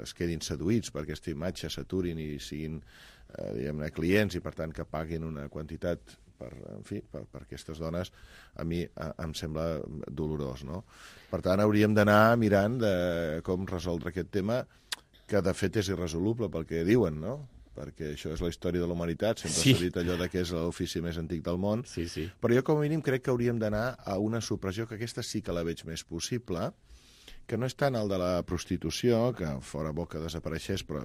es quedin seduïts per aquesta imatge, s'aturin i siguin, diguem-ne, clients, i per tant que paguin una quantitat per aquestes dones, a mi em sembla dolorós, no? Per tant, hauríem d'anar mirant de com resoldre aquest tema, que de fet és irresoluble pel que diuen, no? Perquè això és la història de la humanitat, sempre s'ha dit allò que és l'ofici més antic del món, però jo com a mínim crec que hauríem d'anar a una supressió, que aquesta sí que la veig més possible, que no és tant el de la prostitució, que fora bo que desapareixés, però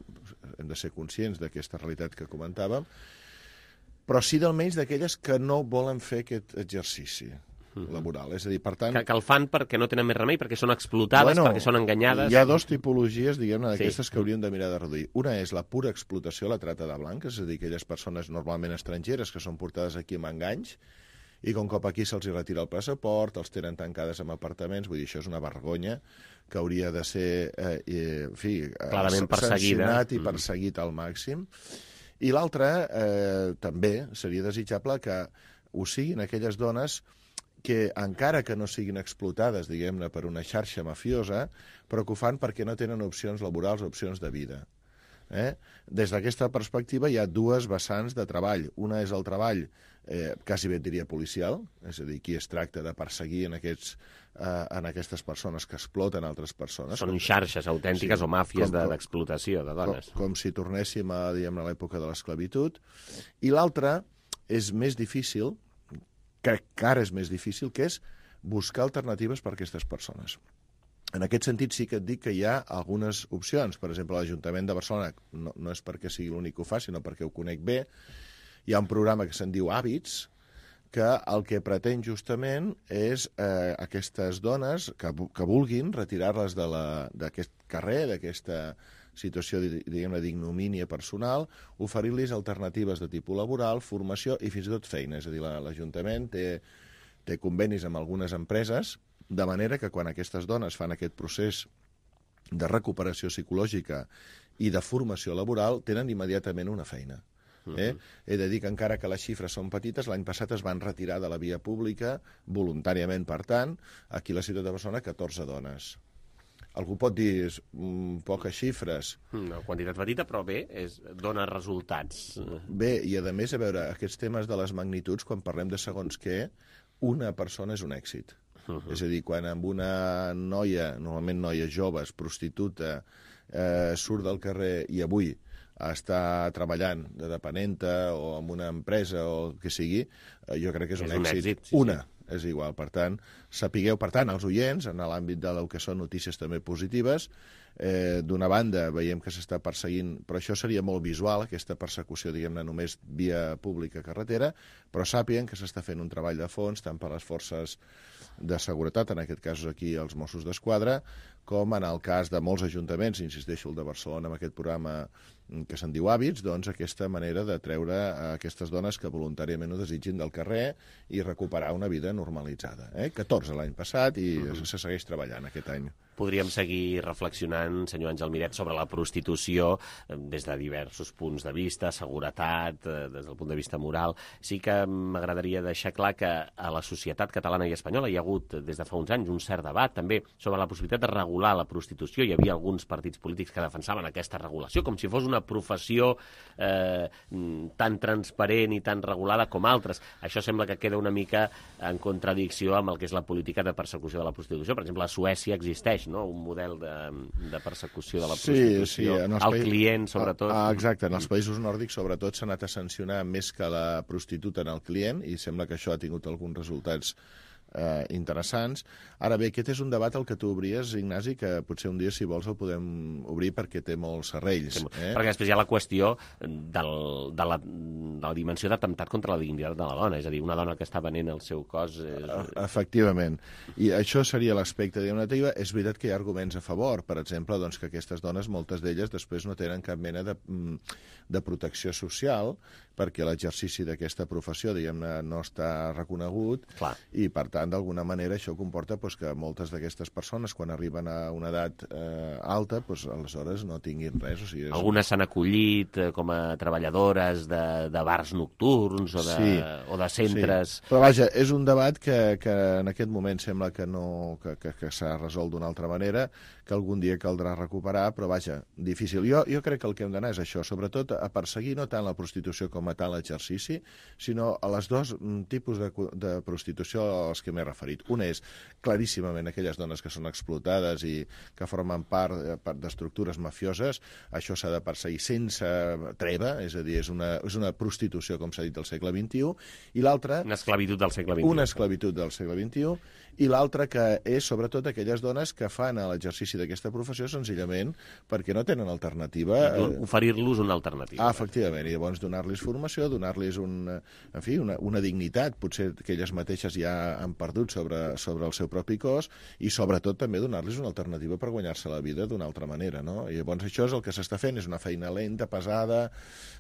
hem de ser conscients d'aquesta realitat que comentàvem, però sí d'almenys d'aquelles que no volen fer aquest exercici laboral. És a dir, per tant... Que el fan perquè no tenen més remei, perquè són explotades, perquè són enganyades... Hi ha dues tipologies, diguem-ne, d'aquestes que hauríem de mirar de reduir. Una és la pura explotació, la trata de blanques, és a dir, aquelles persones normalment estrangeres que són portades aquí amb enganys, i com cop aquí se'ls retira el passaport, els tenen tancades en apartaments, vull dir, això és una vergonya que hauria de ser, clarament sancionat i perseguit al màxim. I l'altra, també seria desitjable que ho siguin aquelles dones que, encara que no siguin explotades, diguem-ne, per una xarxa mafiosa, però que ho fan perquè no tenen opcions laborals, opcions de vida. Des d'aquesta perspectiva hi ha dues vessants de treball. Una és el treball quasi bé et diria policial, és a dir, qui es tracta de perseguir en aquestes persones que exploten altres persones. Són xarxes autèntiques o màfies d'explotació de dones. Com si tornéssim a l'època de l'esclavitud. I l'altre és més difícil, que encara és més difícil, que és buscar alternatives per a aquestes persones. En aquest sentit sí que et dic que hi ha algunes opcions. Per exemple, l'Ajuntament de Barcelona, no és perquè sigui l'únic que ho fa, sinó perquè ho conec bé, hi ha un programa que se'n diu Hàbits, que el que pretén justament és aquestes dones que vulguin retirar-les d'aquest carrer, d'aquesta situació, diguem-ne, d'ignomínia personal, oferir-los alternatives de tipus laboral, formació i fins i tot feina. És a dir, l'Ajuntament té convenis amb algunes empreses, de manera que quan aquestes dones fan aquest procés de recuperació psicològica i de formació laboral, tenen immediatament una feina. He de dir que encara que les xifres són petites, l'any passat es van retirar de la via pública, voluntàriament, per tant, aquí a la ciutat de Barcelona, 14 dones. Algú pot dir, poques xifres. Una quantitat petita, però bé, dona resultats. Bé, i a més, a veure, aquests temes de les magnituds, quan parlem de segons què, una persona és un èxit. És a dir, quan amb una noia, normalment noies joves, prostituta, surt del carrer i avui està treballant de depenenta o en una empresa o el que sigui, jo crec que és un èxit. Una. És igual, per tant, sapigueu, per tant, els oients, en l'àmbit del que són notícies també positives, d'una banda veiem que s'està perseguint, però això seria molt visual, aquesta persecució, diguem-ne, només via pública carretera, però sàpiguen que s'està fent un treball de fons, tant per les forces de seguretat, en aquest cas aquí els Mossos d'Esquadra, com en el cas de molts ajuntaments, insisteixo, el de Barcelona, amb aquest programa que se'n diu Hàbits, doncs aquesta manera de treure aquestes dones que voluntàriament ho desitgin del carrer i recuperar una vida normalitzada. 14 l'any passat i se segueix treballant aquest any. Podríem seguir reflexionant, senyor Àngel Miret, sobre la prostitució des de diversos punts de vista, seguretat, des del punt de vista moral. Sí que m'agradaria deixar clar que a la societat catalana i espanyola hi ha hagut des de fa uns anys un cert debat també sobre la possibilitat de regular la prostitució. Hi havia alguns partits polítics que defensaven aquesta regulació com si fos una professió tan transparent i tan regulada com altres. Això sembla que queda una mica en contradicció amb el que és la política de persecució de la prostitució. Per exemple, a Suècia existeix un model de persecució de la prostitució al client, sobretot. Exacte, en els països nòrdics, sobretot, s'ha anat a sancionar més que la prostituta en el client i sembla que això ha tingut alguns resultats interessants. Ara bé, aquest és un debat al que tu obries, Ignasi, que potser un dia, si vols, el podem obrir perquè té molts serrells. Perquè després hi ha la qüestió de la dimensió d'atemptat contra la dignitat de la dona, és a dir, una dona que està venent el seu cos... Efectivament. I això seria l'aspecte negatiu. És veritat que hi ha arguments a favor, per exemple, doncs, que aquestes dones, moltes d'elles, després no tenen cap mena de protecció social, perquè l'exercici d'aquesta professió, diguem-ne, no està reconegut, i, per tant, d'alguna manera, això comporta que moltes d'aquestes persones, quan arriben a una edat alta, aleshores no tinguin res. Algunes s'han acollit com a treballadores de bars nocturns o de centres... Però vaja, és un debat que en aquest moment sembla que s'ha resolt d'una altra manera, que algun dia caldrà recuperar, però vaja, difícil. Jo crec que el que hem d'anar és això, sobretot a perseguir no tant la prostitució com a tal exercici, sinó a les dos tipus de prostitució als que m'he referit. Una és claríssimament aquelles dones que són explotades i que formen part d'estructures mafioses. Això s'ha de perseguir sense treva, és a dir, és una prostitució, com s'ha dit, del segle XXI, i l'altra... Una esclavitud del segle XXI. Una esclavitud del segle XXI, i l'altra que és, sobretot, aquelles dones que fan l'exercici d'aquesta professió senzillament perquè no tenen alternativa. Oferir-los una alternativa. Efectivament, i llavors donar-los formació, donar-los una dignitat, potser que elles mateixes ja han perdut sobre el seu propi cos, i sobretot també donar-los una alternativa per guanyar-se la vida d'una altra manera, no? I llavors això és el que s'està fent, és una feina lenta, pesada,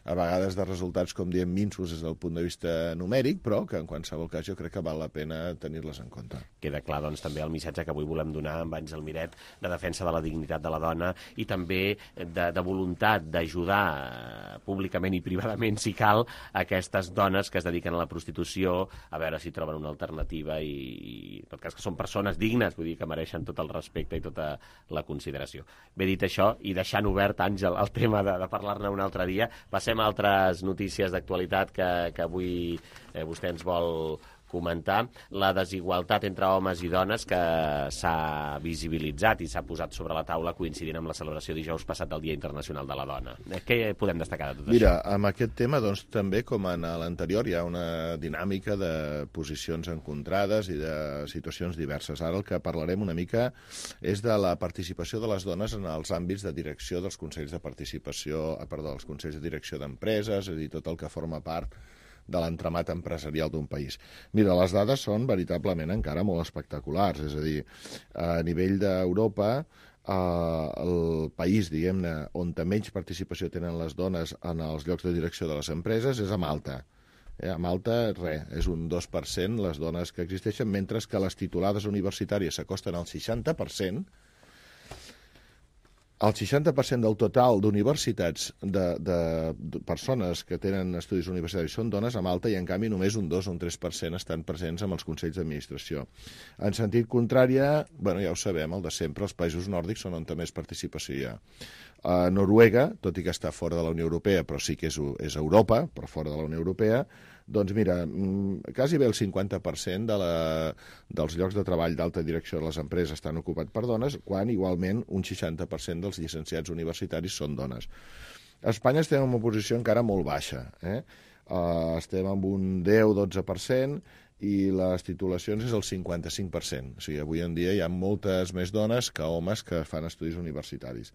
a vegades de resultats, com diem, minsos des del punt de vista numèric, però que en qualsevol cas jo crec que val la pena tenir-les en compte. Queda clar, doncs, també el missatge que avui volem donar amb Àngel Miret de defensa de la dignitat de la dona i també de voluntat d'ajudar públicament i privadament, si cal, aquestes dones que es dediquen a la prostitució, a veure si troben una alternativa i en tot cas que són persones dignes, vull dir que mereixen tot el respecte i tota la consideració. Bé, dit això, i deixant obert, Àngel, el tema de parlar-ne un altre dia, passem a altres notícies d'actualitat que avui vostè ens vol comentar. La desigualtat entre homes i dones que s'ha visibilitzat i s'ha posat sobre la taula coincidint amb la celebració dijous passat del Dia Internacional de la Dona. Què podem destacar de tot això? Mira, amb aquest tema, doncs, també, com en l'anterior, hi ha una dinàmica de posicions encontrades i de situacions diverses. Ara el que parlarem una mica és de la participació de les dones en els àmbits de direcció dels consells de participació, els consells de direcció d'empreses, és a dir, tot el que forma part de l'entramat empresarial d'un país. Mira, les dades són veritablement encara molt espectaculars, és a dir, a nivell d'Europa, el país, diguem-ne, on menys participació tenen les dones en els llocs de direcció de les empreses és a Malta. A Malta, és un 2% les dones que existeixen, mentre que les titulades universitàries s'acosten al 60%. El 60% del total d'universitats, de persones que tenen estudis universitaris són dones a Malta, i en canvi només un 2 o un 3% estan presents en els consells d'administració. En sentit contrari, ja ho sabem, el de sempre, els països nòrdics són on més participació hi ha. Noruega, tot i que està fora de la Unió Europea, però sí que és Europa, però fora de la Unió Europea, doncs mira, quasi bé el 50% dels llocs de treball d'alta direcció de les empreses estan ocupats per dones, quan igualment un 60% dels llicenciats universitaris són dones. A Espanya estem en una posició encara molt baixa. Estem amb un 10-12%, i les titulacions és el 55%. O sigui, avui en dia hi ha moltes més dones que homes que fan estudis universitaris.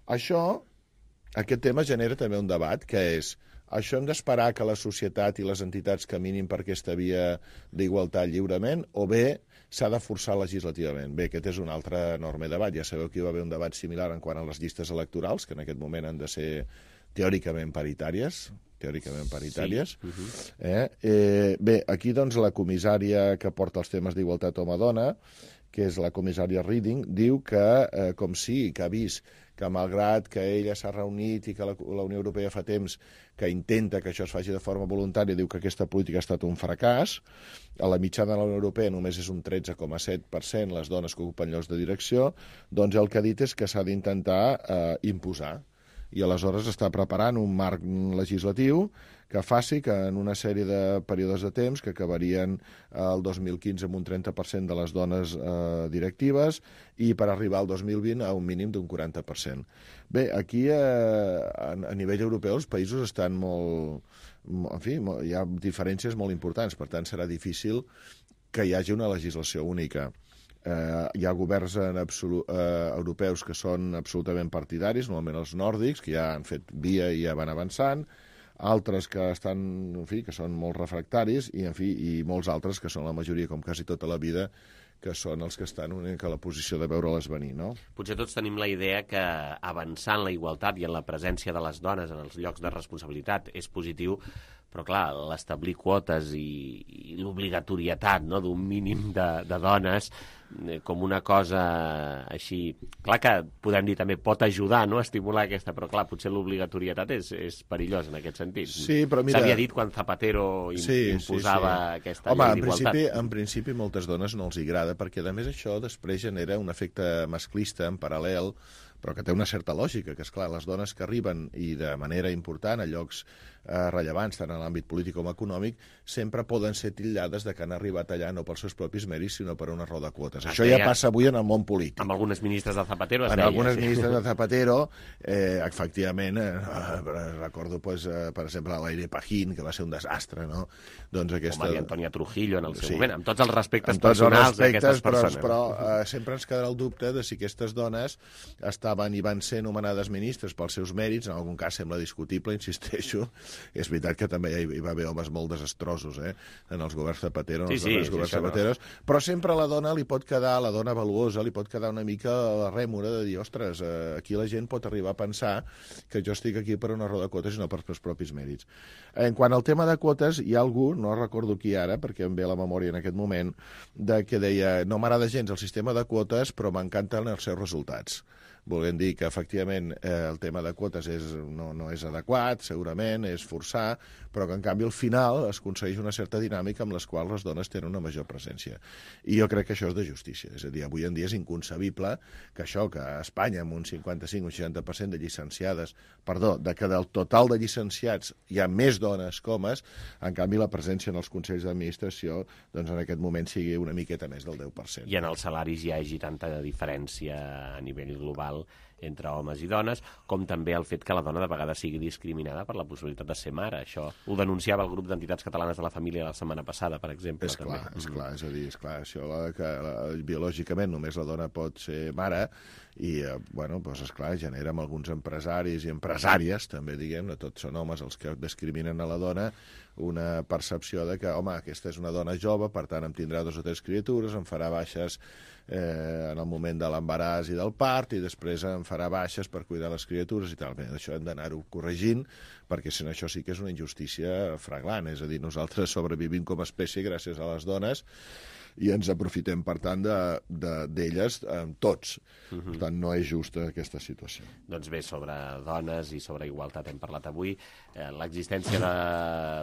Aquest tema genera també un debat, que és: això hem d'esperar que la societat i les entitats caminin per aquesta via d'igualtat lliurement, o bé s'ha de forçar legislativament? Bé, aquest és un altre enorme debat. Ja sabeu que hi va haver un debat similar en quant a les llistes electorals, que en aquest moment han de ser teòricament paritàries. Bé, aquí doncs la comissària que porta els temes d'igualtat home-dona, que és la comissària Reding, diu que, com sí, que ha vist que malgrat que ella s'ha reunit i que la Unió Europea fa temps que intenta que això es faci de forma voluntària, diu que aquesta política ha estat un fracàs. A la mitjana de la Unió Europea només és un 13,7% les dones que ocupen llocs de direcció. Doncs el que ha dit és que s'ha d'intentar imposar. I aleshores està preparant un marc legislatiu que faci que en una sèrie de períodes de temps, que acabarien el 2015 amb un 30% de les dones directives, i per arribar al 2020 a un mínim d'un 40%. Bé, aquí a nivell europeu els països estan molt... En fi, hi ha diferències molt importants, per tant serà difícil que hi hagi una legislació única. Hi ha governs europeus que són absolutament partidaris, normalment els nòrdics, que ja han fet via i ja van avançant, altres que estan, en fi, que són molt refractaris, i molts altres que són la majoria, com quasi tota la vida, que són els que estan una mica a la posició de veure-les venir, no? Potser tots tenim la idea que avançar en la igualtat i en la presència de les dones en els llocs de responsabilitat és positiu, però clar, l'establir quotes i l'obligatorietat d'un mínim de dones com una cosa així... Clar que podem dir també pot ajudar a estimular aquesta, però clar, potser l'obligatorietat és perillós en aquest sentit. Sí, però mira... S'havia dit quan Zapatero imposava aquesta llei d'igualtat. Home, en principi moltes dones no els agrada, perquè a més això després genera un efecte masclista en paral·lel, però que té una certa lògica, que és clar, les dones que arriben i de manera important a llocs rellevants, tant en l'àmbit polític com econòmic, sempre poden ser titllades de que han arribat allà no pels seus propis mèrits, sinó per una raó de quotes. Això ja passa avui en el món polític. Amb algunes ministres de Zapatero es deia. En algunes ministres de Zapatero, efectivament, recordo, per exemple, l'Aire Pajín, que va ser un desastre, no? O Maria Antònia Trujillo en el seu moment, amb tots els respectes personals d'aquestes persones. Però sempre ens quedarà el dubte de si aquestes dones estaven i van ser nomenades ministres pels seus mèrits. En algun cas sembla discutible, insisteixo. És veritat que també hi va haver homes molt desastrosos en els governs Zapatero, Zapateros, però sempre a la dona li pot quedar, la dona valuosa, li pot quedar una mica la rèmora de dir, ostres, aquí la gent pot arribar a pensar que jo estic aquí per una raó de quotes i no per els propis mèrits. En quant al tema de quotes, hi ha algú, no recordo qui ara, perquè em ve a la memòria en aquest moment, que deia, no m'agrada gens el sistema de quotes, però m'encanten els seus resultats. volent dir que, efectivament, el tema de quotes no és adequat, segurament, és forçar, però que, en canvi, al final es aconsegueix una certa dinàmica amb les quals les dones tenen una major presència. I jo crec que això és de justícia. És a dir, avui en dia és inconcebible que això, que a Espanya, amb un 55 o 60% de llicenciades, que del total de llicenciats hi ha més dones que homes, en canvi la presència en els consells d'administració doncs en aquest moment sigui una miqueta més del 10%. I en els salaris hi hagi tanta diferència a nivell global entre homes i dones, com també el fet que la dona de vegades sigui discriminada per la possibilitat de ser mare. Això ho denunciava el grup d'entitats catalanes de la família la setmana passada, per exemple. És clar, és a dir, això que biològicament només la dona pot ser mare i, doncs, esclar, genera amb alguns empresaris i empresàries, també, diguem, no tots són homes els que discriminen a la dona, una percepció de que, home, aquesta és una dona jove, per tant em tindrà 2 o 3 criatures, em farà baixes en el moment de l'embaràs i del part, i després em farà baixes per cuidar les criatures i tal. Bé, això hem d'anar-ho corregint, perquè si no això sí que és una injustícia fraglant. És a dir, nosaltres sobrevivim com a espècie gràcies a les dones i ens aprofitem, per tant, d'elles tots. Per tant, no és justa aquesta situació. Doncs bé, sobre dones i sobre igualtat hem parlat avui. L'existència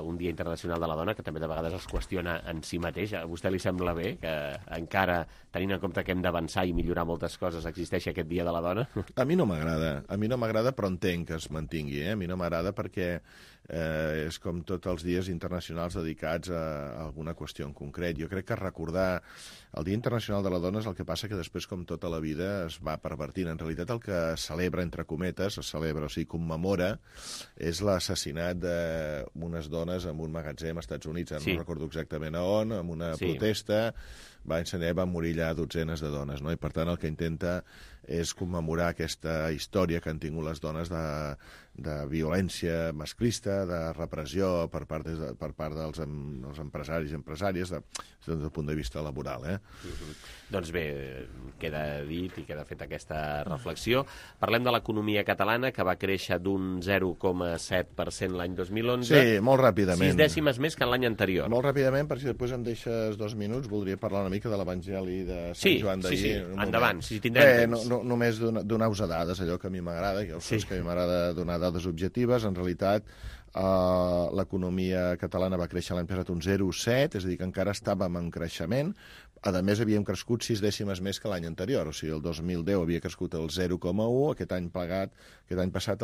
d'un Dia Internacional de la Dona, que també de vegades es qüestiona en si mateix. A vostè li sembla bé que encara, tenint en compte que hem d'avançar i millorar moltes coses, existeixi aquest Dia de la Dona? A mi no m'agrada, però entenc que es mantingui. A mi no m'agrada perquè és com tots els dies internacionals dedicats a alguna qüestió en concret. Jo crec que recordar el Dia Internacional de la Dona és el que passa que després, com tota la vida, es va pervertint. En realitat el que celebra, entre cometes, commemora, és l'assassinat d'unes dones en un magatzem als Estats Units, no recordo exactament a on, amb una protesta, van morir allà dotzenes de dones, no? I per tant el que intenta és commemorar aquesta història que han tingut les dones de violència masclista, de repressió per part dels empresaris i empresàries des del punt de vista laboral. Doncs bé, queda dit i queda feta aquesta reflexió. Parlem de l'economia catalana, que va créixer d'un 0,7% l'any 2011. Sí, molt ràpidament. 6 dècimes més que l'any anterior. Molt ràpidament, perquè si després em deixes 2 minuts, voldria parlar una mica de l'Evangeli de Sant Joan d'ahir. Sí, endavant, si tindrem temps. Només donar-vos dades, allò que a mi m'agrada, que a mi m'agrada donar dades objectives. En realitat, l'economia catalana va créixer l'any passat un 0,7, és a dir, que encara estàvem en creixement. A més, havíem crescut 6 dècimes més que l'any anterior, o sigui, el 2010 havia crescut el 0,1, aquest any passat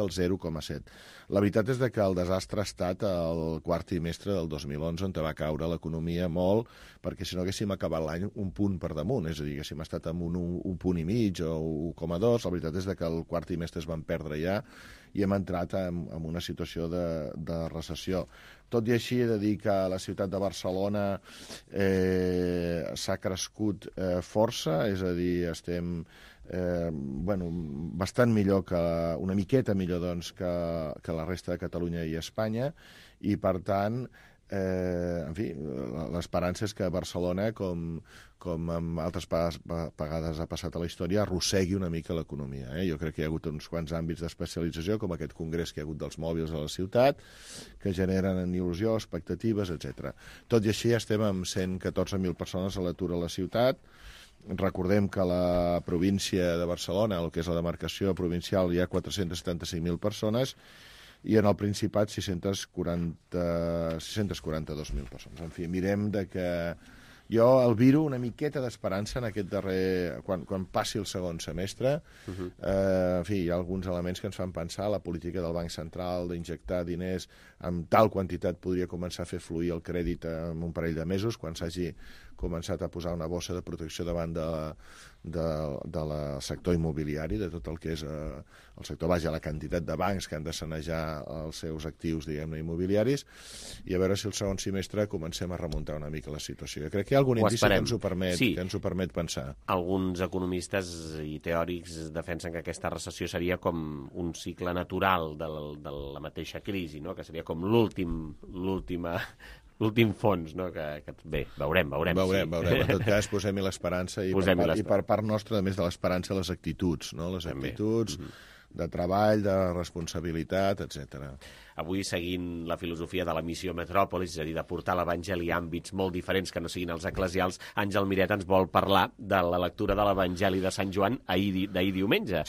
el 0,7. La veritat és que el desastre ha estat el quart trimestre del 2011, on va caure l'economia molt, perquè si no haguéssim acabat l'any un punt per damunt, és a dir, haguéssim estat amb un punt i mig o 1,2, la veritat és que el quart trimestre es van perdre ja, i hem entrat en una situació de recessió. Tot i així, he de dir que la ciutat de Barcelona s'ha crescut força, és a dir, estem bastant millor, una miqueta millor doncs, que la resta de Catalunya i Espanya, i per tant, en fi, l'esperança és que Barcelona, com en altres vegades ha passat a la història, arrossegui una mica l'economia. Jo crec que hi ha hagut uns quants àmbits d'especialització, com aquest congrés que hi ha hagut dels mòbils a la ciutat, que generen il·lusió, expectatives, etc. Tot i així estem amb 114.000 persones a l'atur a la ciutat. Recordem que a la província de Barcelona, el que és la demarcació provincial, hi ha 475.000 persones, i en el Principat 642.000 persones. En fi, mirem que jo albiro una miqueta d'esperança en aquest darrer... Quan passi el segon semestre. En fi, hi ha alguns elements que ens fan pensar la política del Banc Central d'injectar diners amb tal quantitat podria començar a fer fluir el crèdit en un parell de mesos, quan s'hagi començat a posar una bossa de protecció davant del sector immobiliari, de tot el que és el sector, la quantitat de bancs que han de sanejar els seus actius, diguem-ne, immobiliaris, i a veure si el segon semestre comencem a remuntar una mica la situació. Jo crec que hi ha algun indici que ens ho permet pensar. Alguns economistes i teòrics defensen que aquesta recessió seria com un cicle natural de la mateixa crisi, no? Que seria com l'últim fons, no? Bé, veurem. En tot cas, posem-hi l'esperança i per part nostra, a més de l'esperança, les actituds, no? Les actituds de treball, de responsabilitat, etc. Avui, seguint la filosofia de la missió Metròpolis, és a dir, de portar l'Evangeli a àmbits molt diferents que no siguin els eclesials, Àngel Miret ens vol parlar de la lectura de l'Evangeli de Sant Joan d'ahir diumenge,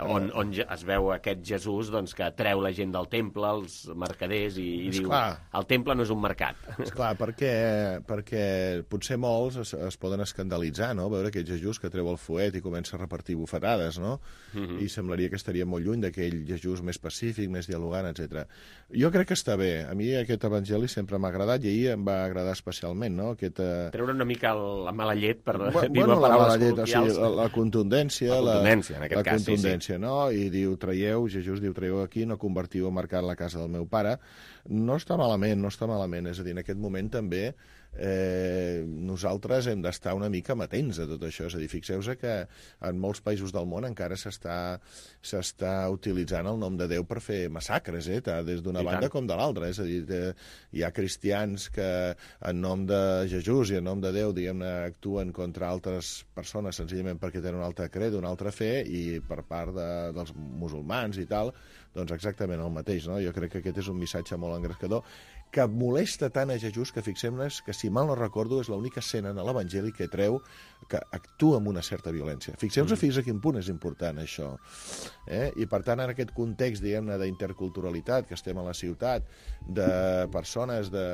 on es veu aquest Jesús que treu la gent del temple, els mercaders, i diu, el temple no és un mercat. Esclar, perquè potser molts es poden escandalitzar, no?, veure aquest Jesús que treu el fuet i comença a repartir bufetades, no? I semblaria que estaria molt lluny d'aquell Jesús més pacífic, més dialogant, etc. Jo crec que està bé. A mi aquest evangeli sempre m'ha agradat i ahir em va agradar especialment, no? Treure una mica la mala llet, per dir-ho la paraules mala llet, col·loquials. la contundència. La contundència, en aquest cas, sí. La contundència, no? I diu, Jesús diu, traieu aquí, no convertiu a mercat la casa del meu pare. No està malament. És a dir, en aquest moment també nosaltres hem d'estar una mica amatents a tot això. És a dir, fixeu-vos que en molts països del món encara s'està utilitzant el nom de Déu per fer massacres, des d'una banda com de l'altra. És a dir, hi ha cristians que en nom de Jesús i en nom de Déu, diguem-ne, actuen contra altres persones senzillament perquè tenen un altre credo, una altra fe, i per part dels musulmans i tal, doncs exactament el mateix, no? Jo crec que aquest és un missatge molt engrescador que molesta tant a Jesús que fixem-nos que, si mal no recordo, és l'única escena en l'Evangeli que treu que actua amb una certa violència. Fixeu-vos fins a quin punt és important això. I, per tant, en aquest context, diguem-ne, d'interculturalitat, que estem a la ciutat, de persones de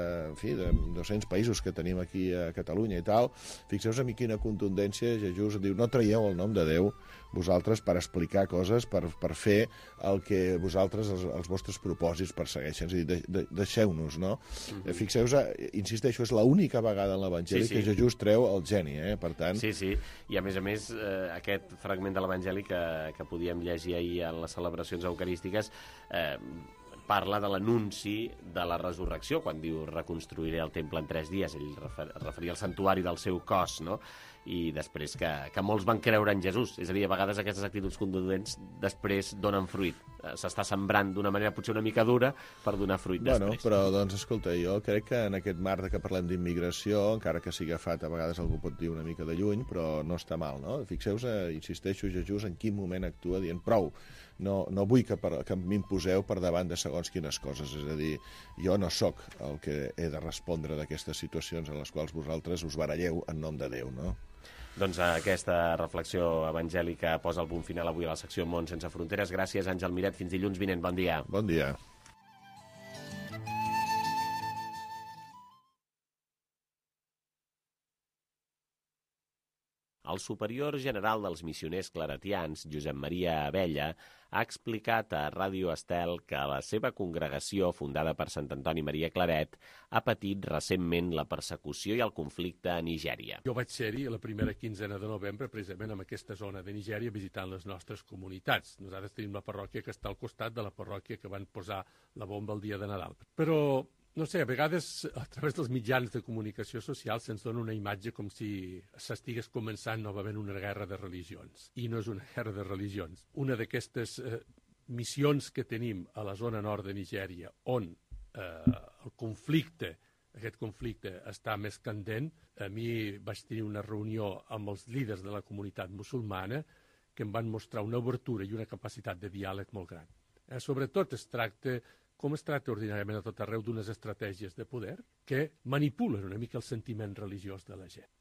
200 països que tenim aquí a Catalunya i tal, fixeu-vos amb quina contundència Jesús diu, no traieu el nom de Déu vosaltres per explicar coses, per fer el que vosaltres, els vostres propòsits persegueixen. És a dir, deixeu-nos, no? Fixeu-vos, insisteixo, és l'única vegada en l'Evangeli que Jesús treu el geni, per tant... Sí, i a més, aquest fragment de l'Evangeli que podíem llegir ahir en les celebracions eucarístiques parla de l'anunci de la resurrecció, quan diu reconstruiré el temple en 3 dies. Ell referia al santuari del seu cos, no? I després que molts van creure en Jesús. És a dir, a vegades aquestes actituds contundents després donen fruit. S'està sembrant d'una manera potser una mica dura per donar fruit després. Però, doncs, escolta, jo crec que en aquest marc que parlem d'immigració, encara que sigui agafat, a vegades algú pot dir una mica de lluny, però no està mal, no? Fixeu-vos, insisteixo, Jesús en quin moment actua dient prou. No vull que m'imposeu per davant de segons quines coses. És a dir, jo no sóc el que he de respondre d'aquestes situacions en les quals vosaltres us baralleu en nom de Déu, no? Doncs aquesta reflexió evangèlica posa el punt final avui a la secció Món sense fronteres. Gràcies, Àngel Miret. Fins dilluns vinent. Bon dia. Bon dia. El superior general dels missioners claretians, Josep Maria Abella, ha explicat a Ràdio Estel que la seva congregació, fundada per Sant Antoni Maria Claret, ha patit recentment la persecució i el conflicte a Nigèria. Jo vaig ser-hi la primera quinzena de novembre, precisament en aquesta zona de Nigèria, visitant les nostres comunitats. Nosaltres tenim la parròquia que està al costat de la parròquia que van posar la bomba el dia de Nadal. Però no sé, a vegades a través dels mitjans de comunicació social se'ns dona una imatge com si s'estigués començant novament una guerra de religions. I no és una guerra de religions. Una d'aquestes missions que tenim a la zona nord de Nigèria, on el conflicte, aquest conflicte està més candent, a mi vaig tenir una reunió amb els líders de la comunitat musulmana que em van mostrar una obertura i una capacitat de diàleg molt gran. Sobretot com es tracta ordinàriament a tot arreu d'unes estratègies de poder que manipulen una mica el sentiment religiós de la gent.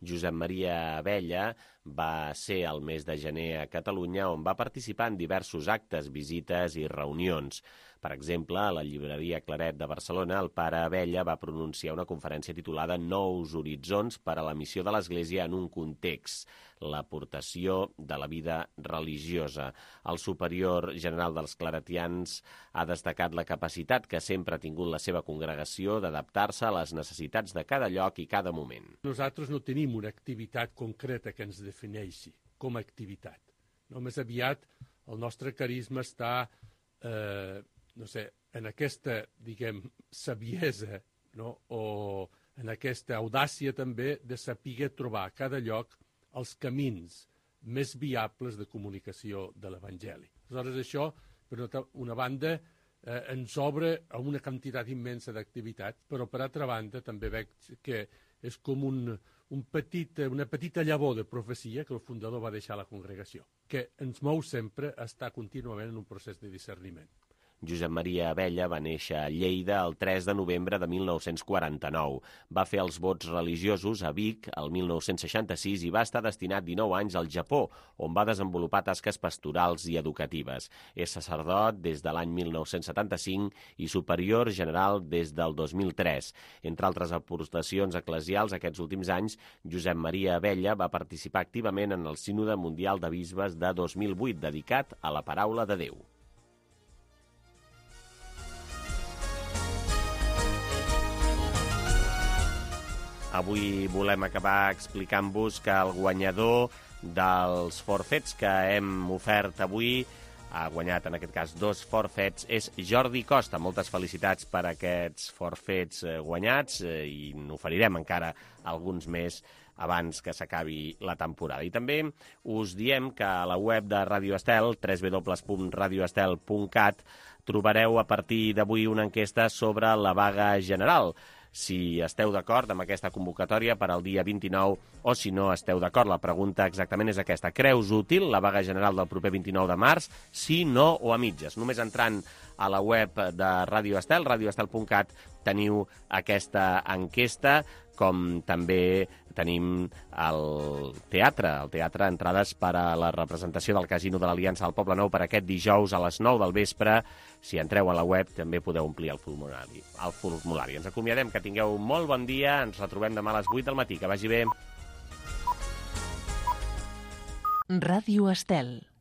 Josep Maria Abella va ser el mes de gener a Catalunya, on va participar en diversos actes, visites i reunions. Per exemple, a la llibreria Claret de Barcelona, el pare Abella va pronunciar una conferència titulada Nous horitzons per a la missió de l'Església en un context, l'aportació de la vida religiosa. El superior general dels claretians ha destacat la capacitat que sempre ha tingut la seva congregació d'adaptar-se a les necessitats de cada lloc i cada moment. Nosaltres no tenim una activitat concreta que ens defineixi com a activitat. No, més aviat el nostre carisma està en aquesta, saviesa, no? O en aquesta audàcia també de saber trobar a cada lloc els camins més viables de comunicació de l'Evangeli. Aleshores, això, per una banda, ens obre a una quantitat immensa d'activitats, però per altra banda també veig que és com una petita llavor de profecia que el fundador va deixar a la congregació, que ens mou sempre a estar contínuament en un procés de discerniment. Josep Maria Abella va néixer a Lleida el 3 de novembre de 1949. Va fer els vots religiosos a Vic el 1966 i va estar destinat 19 anys al Japó, on va desenvolupar tasques pastorals i educatives. És sacerdot des de l'any 1975 i superior general des del 2003. Entre altres aportacions eclesials, aquests últims anys, Josep Maria Abella va participar activament en el Sínode Mundial de Bisbes de 2008, dedicat a la paraula de Déu. Avui volem acabar explicant-vos que el guanyador dels forfets que hem ofert avui ha guanyat, en aquest cas, 2 forfets, és Jordi Costa. Moltes felicitats per aquests forfets guanyats i n'oferirem encara alguns més abans que s'acabi la temporada. I també us diem que a la web de Ràdio Estel, www.radioestel.cat, trobareu a partir d'avui una enquesta sobre la vaga general. Si esteu d'acord amb aquesta convocatòria per al dia 29 o si no esteu d'acord. La pregunta exactament és aquesta. Creus útil la vaga general del proper 29 de març? Sí, no o a mitges? Només entrant a la web de Ràdio Estel, radioestel.cat, teniu aquesta enquesta, com també tenim el teatre entrades per a la representació del Casino de l'Aliança del Poble Nou per aquest dijous a les 9 del vespre. Si entreu a la web també podeu omplir el formulari. Ens acomiadem, que tingueu molt bon dia, ens retrobem demà a les 8 del matí, que vagi bé. Ràdio Estel.